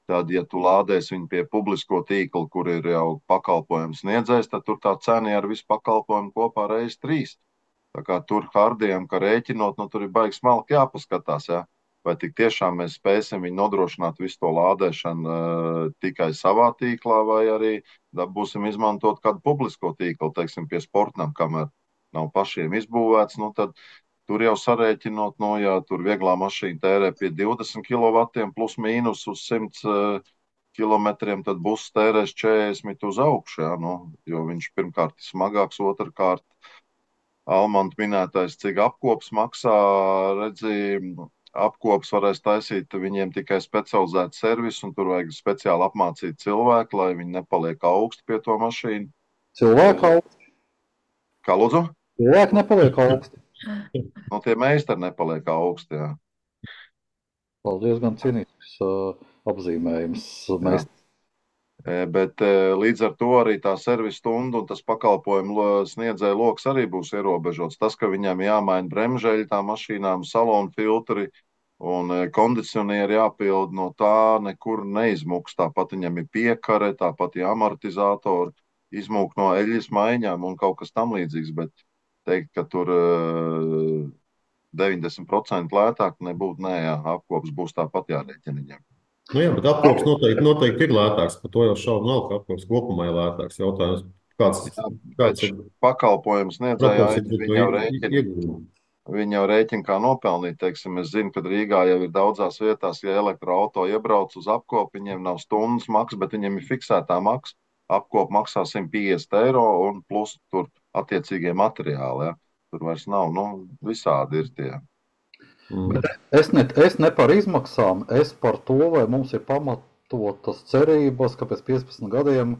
tad, ja tu lādēsi viņu pie publisko tīkla, kur ir jau pakalpojums sniedzējs, tad tur tā cena ar visu pakalpojumu kopā reiz 3. Tā kā tur hardiem, ka rēķinot, nu tur ir baigi smalki jāpaskatās, jā. vai tik tiešām mēs spēsim viņu nodrošināt visu to lādēšanu tikai savā tīklā, vai arī būsim izmantot kādu publisko tīklu, teiksim, pie sportam, kamēr nav pašiem izbūvēts, nu tad tur jau sarēķinot, no jā, tur vieglā mašīna tērē pie 20 kW plus mīnus uz 100 kilometriem, tad buss tērēs 40 uz augšu, jā, nu, jo viņš pirmkārt ir smagāks, otrkārt Almanta minētais, cik apkops maksā, apkops varēs taisīt viņiem tikai specializētu servisu, un tur vajag speciāli apmācīt cilvēku, lai viņi nepaliek augsti pie to mašīnu. Cilvēku augsti? Kā lūdzu? Cilvēki nepaliek augsti. Nu, tie meistari nepaliek augsti, jā. Paldies, gan cienīgs apzīmējums meistars. Bet līdz ar to arī tā servisa stunda un tas pakalpojumu sniedzēja loks arī būs ierobežots. Tas, ka viņam jāmaina bremžeļi tām mašīnām, salonu filtri un kondicionieri jāpild, no tā nekur neizmuks. Tāpat viņam ir piekare, tāpat ir amortizatori, izmūk no eļļas maiņām un kaut kas tam līdzīgs. Bet teikt, ka tur 90% lētāk nebūtu, nē, jā, apkops būs tāpat jārēķina viņiem. Nu jā, bet apkops noteikti ir lētāks. Par to jau šaubu nav, ka apkops kopumā ir lētāks. Jautājums, kāds ir pakalpojums sniedzējā, iegūmi? Viņi jau rēķina kā nopelnīt. Teiksim, es zinu, ka Rīgā jau ir daudzās vietās, ja elektroauto iebrauc uz apkopu, viņiem nav stundas maksa, bet viņiem ir fiksētā maksa. Apkopa maksā 150 eiro un plus tur attiecīgie materiāli. Ja? Tur vairs nav, nu, visādi ir tie. Es ne par izmaksām, es par to, vai mums ir pamatotas cerības, ka pēc 15 gadiem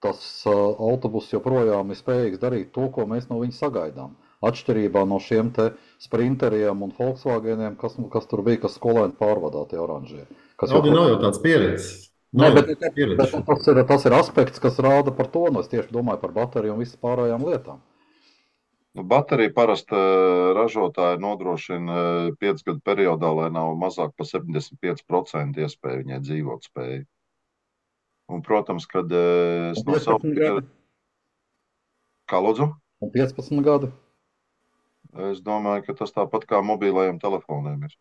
tas autobus joprojām ir spējīgs darīt to, ko mēs no viņa sagaidām. Atšķirībā no šiem te sprinteriem un Volkswageniem, kas tur bija, kas skolēni pārvadāti oranžie. Audi nav jau tāds pieredzes. Nē, bet tas ir aspekts, kas rāda par to, no es tieši domāju par bateriju un visas pārējām lietām. Baterija parasti ražotāji nodrošina 5 gadu periodā, lai nav mazāk par 75% iespēju viņai dzīvot spēju. Un, protams, kad es no savu... Kā lūdzu? Un 15 gadi? Es domāju, ka tas tāpat kā mobilajiem telefoniem ir.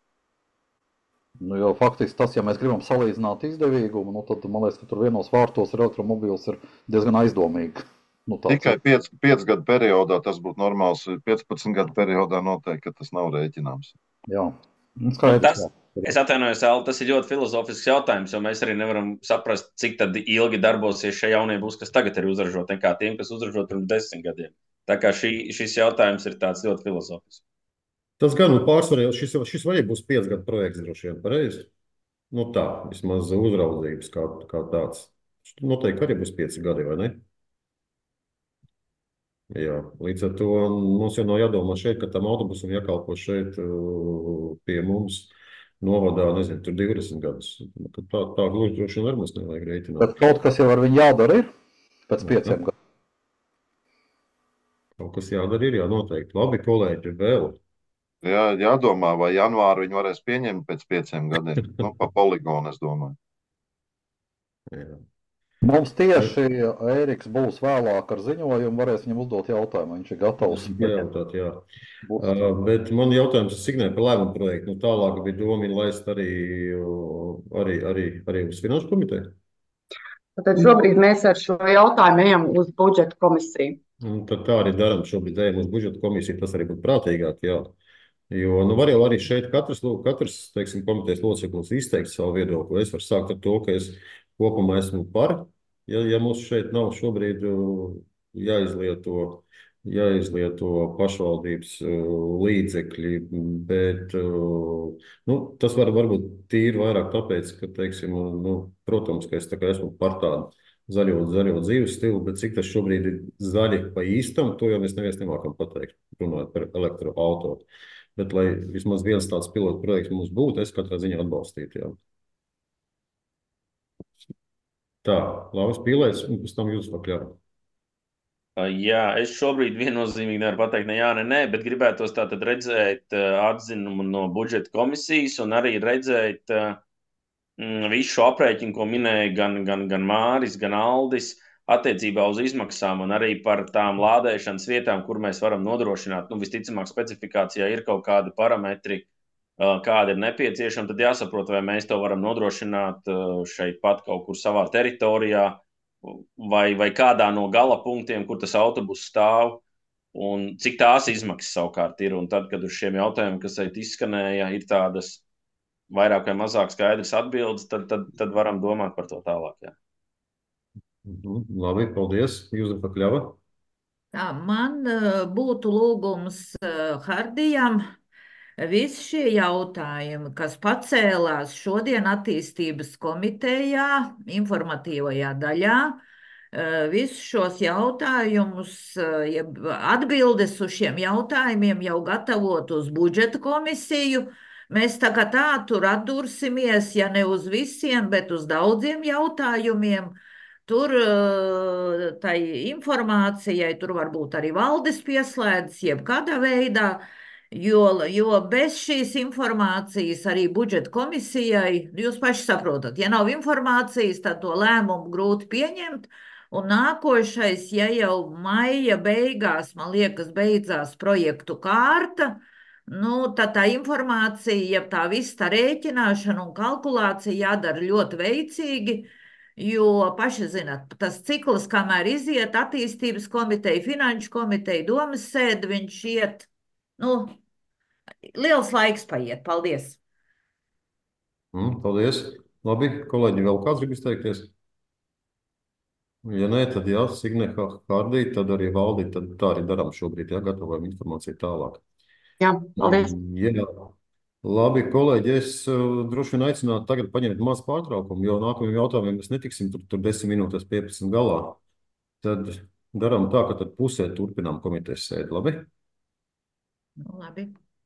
Nu, jo faktiski tas, ja mēs gribam salīdzināt izdevīgumu, nu, tad man liekas, ka tur vienos vārtos elektromobīls ir diezgan aizdomīgi. Nu, tikai 5 gadu periodā tas būtu normāls. 15 gadu periodā noteikti, ka tas nav rēķināms. Jā. Es atvainojos, Alli, tas ir ļoti filozofisks jautājums, jo mēs arī nevaram saprast, cik tad ilgi darbosies šie jaunie būs, kas tagad ir uzražoti, nekā tiem, kas uzražot pirms 10 gadiem. Tā kā šis jautājums ir tāds ļoti filozofisks. Tas gan pārsvarā, šis arī būs 5 gadu projekts droši vien, pareizi? Nu tā, vismaz uzraudzības kā tāds. Noteikti arī būs 5 gadi, vai ne? Jā, līdz ar to mums jau nav jādomā šeit, ka tam autobusam jākalpo šeit pie mums novadā, nezinu, tur 20 gadus. Tā gluži droši vien arī mums nevajag rēķināt. Bet kaut kas jau ar viņu jādara ir pēc 5 gadiem. Kaut kas jādara ir, jā, noteikti. Labi, kolēģi, vēl. Jā, jādomā, vai janvāru viņi varēs pieņemt pēc 5 gadiem. Nu, pa poligonu, es domāju. Jā. Mums tieši Ēriks būs vēlāk ar ziņojumu, varēs viņam uzdot jautājumu, viņš ir gatavs. Jautāt, jā. Bet man jautājums ir Signai par lēmumu projektu. Nu, tālāk bija doma laist arī uz Finanšu komiteju? Tad šobrīd mēs ar šo jautājumu ejam uz budžeta komisiju. Tad tā arī daram, šobrīd ejam uz budžeta komisiju, tas arī būtu prātīgāk, jā. Jo nu var jau arī šeit katrs teiksim, komitejas loceklis izteikt savu viedokli. Es varu sākt ar to, ka es kopumā esmu par, ja mums šeit nav šobrīd jāizlieto pašvaldības līdzekļi, bet nu, tas varbūt tīri vairāk tāpēc, ka, teiksim, nu, protams, ka es tā kā esmu par tādu zaļo dzīves stilu, bet cik tas šobrīd ir zaļi pa īstam, to jau mēs neviens nemākam pateikt, runājot par elektroauto. Bet, lai vismaz viens tāds pilotu projekts mums būtu, es katrā ziņā atbalstītu, jā. Tā, Lauris Pīlēs, un pēc tam jūs pakļāvāt. Jā, es šobrīd viennozīmīgi nevaru pateikt ne jā, ne nē, bet gribētos tātad redzēt atzinumu no budžeta komisijas un arī redzēt visu šo aprēķinu, ko minēja gan Māris, gan Aldis, attiecībā uz izmaksām un arī par tām lādēšanas vietām, kur mēs varam nodrošināt. Nu, visticamāk, specifikācijā ir kaut kādi parametri, kāda ir nepieciešama, tad jāsaprot, vai mēs to varam nodrošināt šeit pat kaut kur savā teritorijā vai kādā no gala punktiem, kur tas autobus stāv, un cik tās izmaksas savukārt ir. Un tad, kad uz šiem jautājumiem, kas šeit izskanēja, ir tādas vairāk vai mazāk skaidras atbildes, tad varam domāt par to tālāk. Jā. Labi, paldies. Jūzefa Kļava. Tā, man būtu lūgums Hardijam. Visi šie jautājumi, kas pacēlās šodien attīstības komitejā, informatīvajā daļā, visus šos jautājumus, atbildes uz šiem jautājumiem jau gatavot uz budžeta komisiju. Mēs tā kā tā tur atdursimies, ja ne uz visiem, bet uz daudziem jautājumiem. Tur tai informācijai, tur varbūt arī valdes pieslēdzas, jebkādā veidā, jo bez šīs informācijas arī budžeta komisijai, jūs paši saprotat, ja nav informācijas, tad to lēmumu grūti pieņemt. Un nākošais, ja jau maija beigās, man liekas, beidzās projektu kārta, tad tā informācija, ja tā viss tā rēķināšana un kalkulācija jādara ļoti veicīgi. Jo paši zināt, tas cikls, kamēr iziet attīstības komiteja, finanšu komiteja, domas sēde, viņš iet, liels laiks paiet. Paldies! Paldies! Labi, kolēģi, vēl kāds grib izteikties? Ja nē, tad jā, Signe Hardī, tad arī Valdi, tad tā arī darām šobrīd, jā, gatavojam informāciju tālāk. Jā, paldies! Jā. Labi, kolēģi, es droši vien aicinātu tagad paņemt mazu pārtraukumu, jo nākamajiem jautājumiem mēs netiksim tur 10 minūtes 15 galā. Tad darām tā, ka tad pusē turpinām komitejas sēdi, labi? Labi.